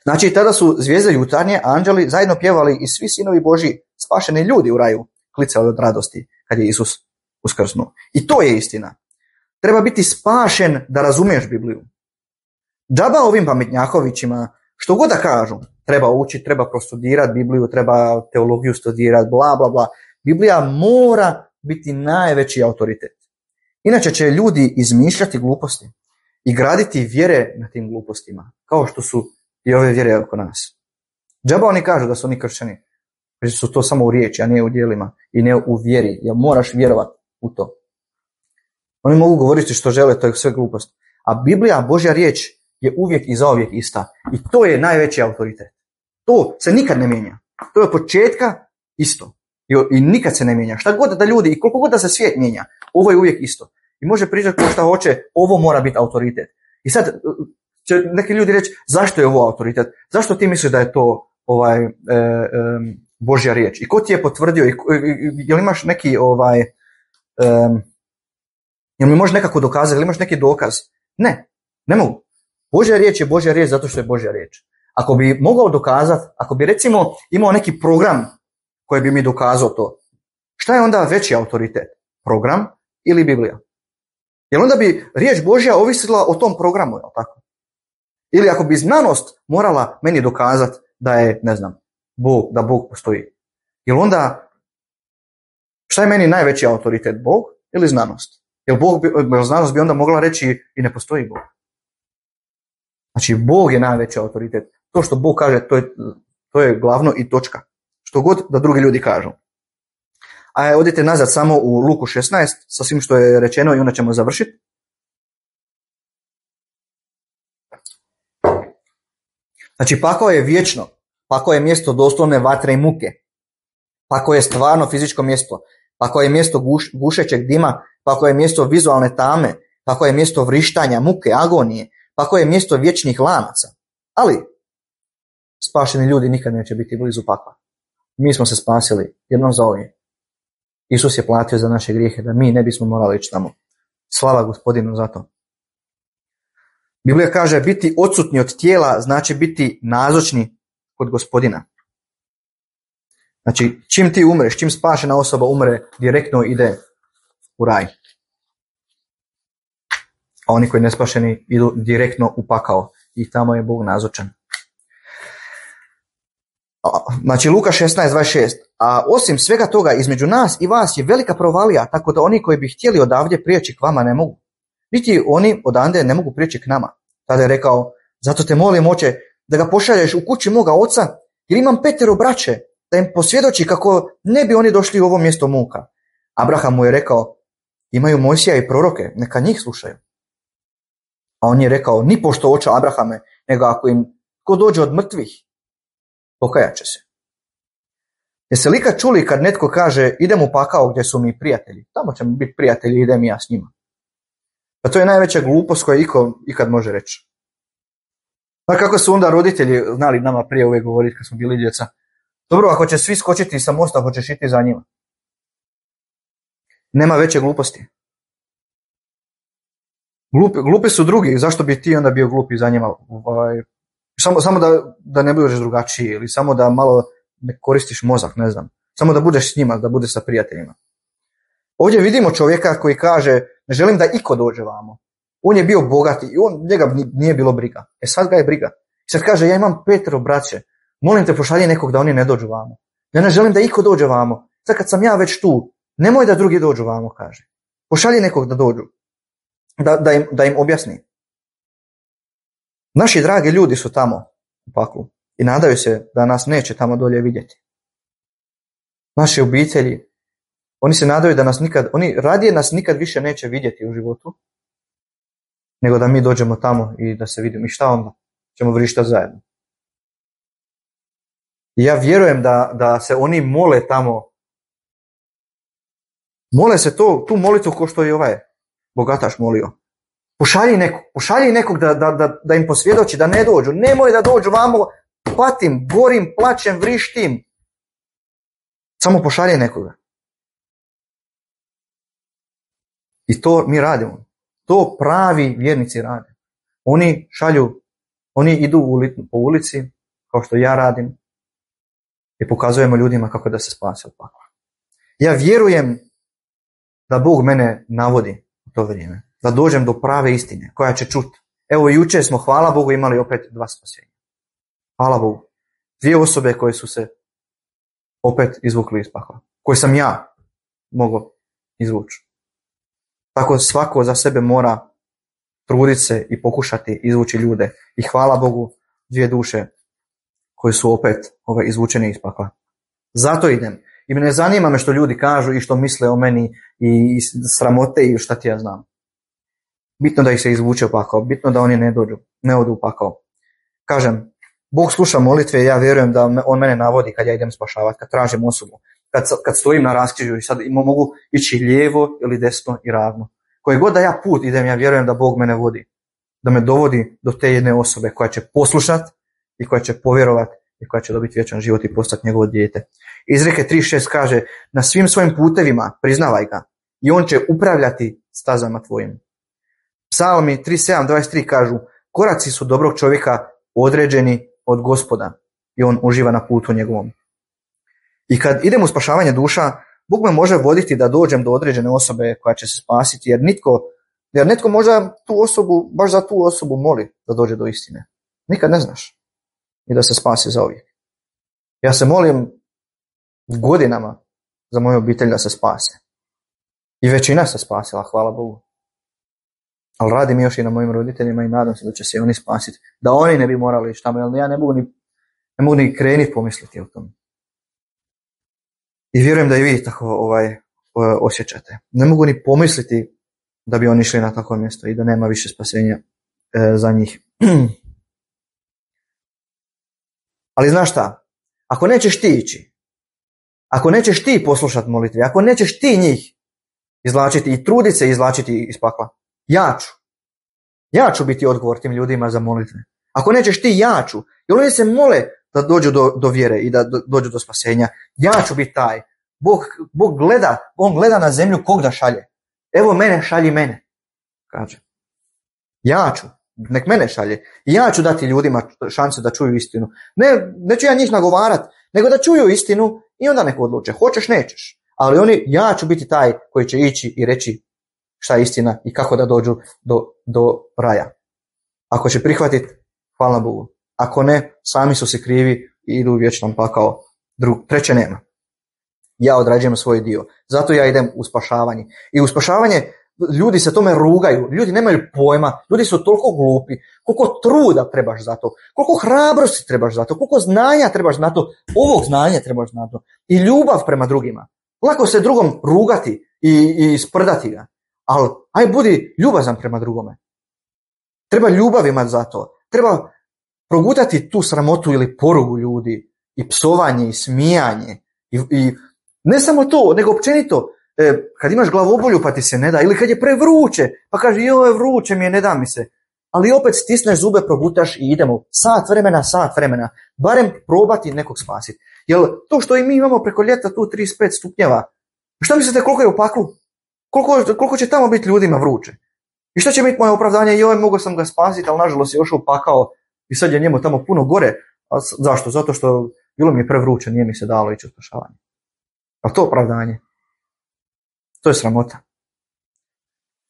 Znači tada su zvijezde jutarnje, anđeli zajedno pjevali i svi sinovi Božji, spašeni ljudi u raju, klicali od radosti kad je Isus uskrsnuo. I to je istina. Treba biti spašen da razumiješ Bibliju. Džaba ovim pametnjakovićima, što god da kažu, treba učiti, treba prostudirati Bibliju, treba teologiju studirati, bla, bla, bla. Biblija mora biti najveći autoritet. Inače će ljudi izmišljati gluposti i graditi vjere na tim glupostima, kao što su i ove vjere oko nas. Džaba oni kažu da su oni kršćani, jer su to samo u riječi, a ne u djelima i ne u vjeri, jer moraš vjerovati u to. Oni mogu govoriti što žele, to je sve glupost. A Biblija, Božja riječ, je uvijek i zauvijek ista. I to je najveći autoritet. To se nikad ne mijenja. To je od početka isto. I, i nikad se ne mijenja. Šta god da ljudi, i koliko god da se svijet mijenja, ovo je uvijek isto. I može pričati ko šta hoće, ovo mora biti autoritet. I sad će neki ljudi reći, zašto je ovo autoritet? Zašto ti misliš da je to ovaj, e, e, Božja riječ? I ko ti je potvrdio? I, i, jel imaš neki ovaj... E, Jel mi može nekako dokazati, ili imaš neki dokaz? Ne, ne mogu. Božja riječ je Božja riječ zato što je Božja riječ. Ako bi mogao dokazati, ako bi recimo imao neki program koji bi mi dokazao to, šta je onda veći autoritet? Program ili Biblija? Jer onda bi riječ Božja ovisila o tom programu, je li tako? Ili ako bi znanost morala meni dokazati da je, ne znam, Bog, da Bog postoji. Jer onda, šta je meni najveći autoritet, Bog ili znanost? Jer Bog bi, znanost bi onda mogla reći i ne postoji Bog. Znači, Bog je najveći autoritet. To što Bog kaže, to je, to je glavno i točka. Što god da drugi ljudi kažu. A odite nazad samo u Luku šesnaest, sa svim što je rečeno i onda ćemo završiti. Znači, pakao je vječno. Pakao je mjesto doslovne vatre i muke. Pakao je stvarno fizičko mjesto. Pakao je mjesto guš, gušećeg dima. Pakao je mjesto vizualne tame. Pakao je mjesto vrištanja, muke, agonije. Pakao je mjesto vječnih lanaca. Ali spašeni ljudi nikad neće biti blizu pakla. Mi smo se spasili jednom za ovdje. Isus je platio za naše grijehe da mi ne bismo morali ići tamo. Slava Gospodinu za to. Biblija kaže biti odsutni od tijela znači biti nazočni kod Gospodina. Znači čim ti umreš, čim spašena osoba umre, direktno ide u raj. A oni koji ne spašeni idu direktno u pakao i tamo je Bog nazočan. Znači Luka šesnaest dvadeset šest. A osim svega toga između nas i vas je velika provalija, tako da oni koji bi htjeli odavdje prijeći k vama ne mogu. Niti oni odande ne mogu prijeći k nama. Tada je rekao, zato te molim oče da ga pošalješ u kući moga oca, jer imam petero braće, da im posvjedoči kako ne bi oni došli u ovo mjesto muka. Abraham mu je rekao, imaju Mojsija i proroke, neka njih slušaju. A on je rekao, ni pošto oče Abrahame, nego ako im ko dođe od mrtvih, pokajat će se. Jeste li ikad čuli kad netko kaže, idem u pakao gdje su mi prijatelji, tamo ćemo biti prijatelji, idem i ja s njima. Pa to je najveća glupost koja iko ikad može reći. Pa kako su onda roditelji znali nama prije uvijek govoriti kad smo bili djeca, dobro, ako će svi skočiti sa mosta, hoćeš iti za njima. Nema veće gluposti. Glupi, glupi su drugi, zašto bi ti onda bio glupi za njima? Ovaj, samo samo da, da ne budeš drugačiji ili samo da malo ne koristiš mozak, ne znam. Samo da budeš s njima, da budeš sa prijateljima. Ovdje vidimo čovjeka koji kaže, ne želim da iko dođe vamo. On je bio bogati i on, njega nije bilo briga. E sad ga je briga. Sad kaže, ja imam petero braće, molim te pošalji nekog da oni ne dođu vamo. Ja ne želim da iko dođe vamo. Sad kad sam ja već tu, nemoj da drugi dođu vamo, kaže. Pošalji nekog da dođu. Da, da, im, da im objasni. Naši dragi ljudi su tamo u paklu i nadaju se da nas neće tamo dolje vidjeti. Naše obitelji, oni se nadaju da nas nikad, oni radije nas nikad više neće vidjeti u životu, nego da mi dođemo tamo i da se vidimo. I šta onda? Ćemo vrištati zajedno. I ja vjerujem da, da se oni mole tamo, mole se to, tu molitvu ko što je ovaj bogataš molio. Pošalji nekog, pošalji nekog da, da, da, da im posvjedoči, da ne dođu. Nemoj da dođu vamo, patim, gorim, plačem, vrištim. Samo pošalji nekoga. I to mi radimo. To pravi vjernici rade. Oni šalju, oni idu po ulici, kao što ja radim, i pokazujemo ljudima kako da se spase od pakla. Ja vjerujem da Bog mene navodi u to vrijeme. Da dođem do prave istine koja će čuti. Evo jučer smo, hvala Bogu, imali opet dva spasenja. Hvala Bogu. Dvije osobe koje su se opet izvukli iz pakla. Koje sam ja mogao izvući. Tako svako za sebe mora truditi se i pokušati izvući ljude. I hvala Bogu, dvije duše koje su opet ove, izvučene iz pakla. Zato idem. I ne zanima me što ljudi kažu i što misle o meni i sramote i šta ti ja znam. Bitno da ih se izvuče u pakao, bitno da oni ne dođu, ne odu u pakao. Kažem, Bog sluša molitve i ja vjerujem da on mene navodi kad ja idem spašavati, kad tražim osobu, kad, kad stojim na raskrižju i sad mogu ići lijevo ili desno i ravno. Koje god da ja put idem, ja vjerujem da Bog mene vodi, da me dovodi do te jedne osobe koja će poslušati i koja će povjerovati i koja će dobiti vječan život i postati njegovo dijete. Izreke tri šest kaže, na svim svojim putevima priznavaj ga i on će upravljati stazama tvojim. Psalmi trideset sedam dvadeset tri kažu, koraci su dobrog čovjeka određeni od Gospoda i on uživa na putu njegovom. I kad idem u spašavanje duša, Bog me može voditi da dođem do određene osobe koja će se spasiti, jer nitko, jer netko možda tu osobu, baš za tu osobu moli da dođe do istine. Nikad ne znaš i da se spasi zauvijek. Ja se molim godinama za moju obitelj da se spase. I većina se spasila, hvala Bogu. Ali radim još i na mojim roditeljima i nadam se da će se oni spasiti. Da oni ne bi morali šta, jer ja ne mogu ni, ne mogu ni krenuti pomisliti o tom. I vjerujem da i vi tako ovaj, osjećate. Ne mogu ni pomisliti da bi oni išli na takvo mjesto i da nema više spasenja e, za njih. Ali znaš šta? Ako nećeš ti ići, ako nećeš ti poslušati molitve, ako nećeš ti njih izvlačiti i truditi se izvlačiti iz pakla, ja ću. Ja ću biti odgovor tim ljudima za molitve. Ako nećeš ti, ja ću. Jer oni se mole da dođu do, do vjere i da do, dođu do spasenja. Ja ću biti taj. Bog, Bog gleda, on gleda na zemlju kog da šalje. Evo mene, šalji mene. Kaže. Ja ću. Nek mene šalje. Ja ću dati ljudima šansu da čuju istinu. Ne, neću ja njih nagovarat, nego da čuju istinu i onda nek odluče. Hoćeš, nećeš. Ali oni, ja ću biti taj koji će ići i reći šta je istina i kako da dođu do, do raja. Ako će prihvatiti, hvala Bogu. Ako ne, sami su se krivi i idu u vječnom pakao. Drug, treće nema. Ja odrađujem svoj dio. Zato ja idem u spašavanje. I u spašavanje ljudi se tome rugaju. Ljudi nemaju pojma. Ljudi su toliko glupi. Koliko truda trebaš za to. Koliko hrabrosti trebaš za to. Koliko znanja trebaš za to. Ovog znanja trebaš za to. I ljubav prema drugima. Lako se drugom rugati i, i sprdati ga. Ali aj budi ljubazan prema drugome. Treba ljubav imati za to. Treba progutati tu sramotu ili porugu ljudi. I psovanje i smijanje. I, i ne samo to, nego općenito. E, kad imaš glavobolju pa ti se ne da. Ili kad je prevruće pa kaže joj vruće mi je, ne da mi se. Ali opet stisneš zube, progutaš i idemo. Sat vremena, sat vremena. Barem probati nekog spasiti. Jer to što i mi imamo preko ljeta tu trideset pet stupnjeva. Šta mislite koliko je u paklu? Koliko, koliko će tamo biti ljudima vruće? I što će biti moje opravdanje? Joj, mogao sam ga spasiti, ali nažalost je još upakao i sad je njemu tamo puno gore. A zašto? Zato što bilo mi je prevruće, nije mi se dalo ići u spašavanje. A to opravdanje? To je sramota.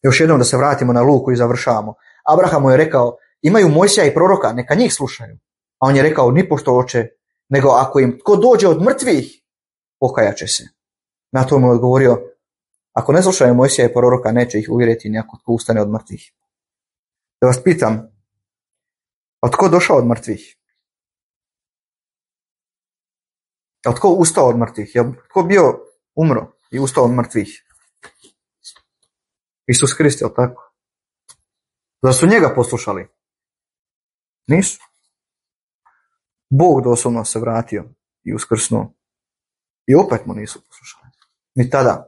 Još jednom da se vratimo na Luku i završavamo. Abraham mu je rekao, imaju Mojsija i proroka, neka njih slušaju. A on je rekao, nipošto oče, nego ako im tko dođe od mrtvih, pokajat će se. Na to mu je odgovorio, ako ne slušaju Mojsija i proroka, neće ih uvjeriti ni ako tko ustane od mrtvih. Da vas pitam, a tko došao od mrtvih? A tko ustao od mrtvih? Je tko bio umro i ustao od mrtvih? Isus Krist, je tako? Zar su njega poslušali? Nisu. Bog doslovno se vratio i uskrsnuo. I opet mu nisu poslušali. Ni tada.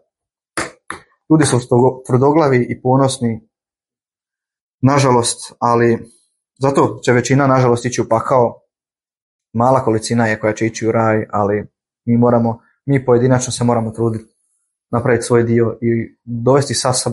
Ljudi su tvrdoglavi i ponosni, nažalost, ali zato će većina, nažalost, ići u pakao. Mala kolicina je koja će ići u raj, ali mi moramo, mi pojedinačno se moramo truditi napraviti svoj dio i dovesti sa sobom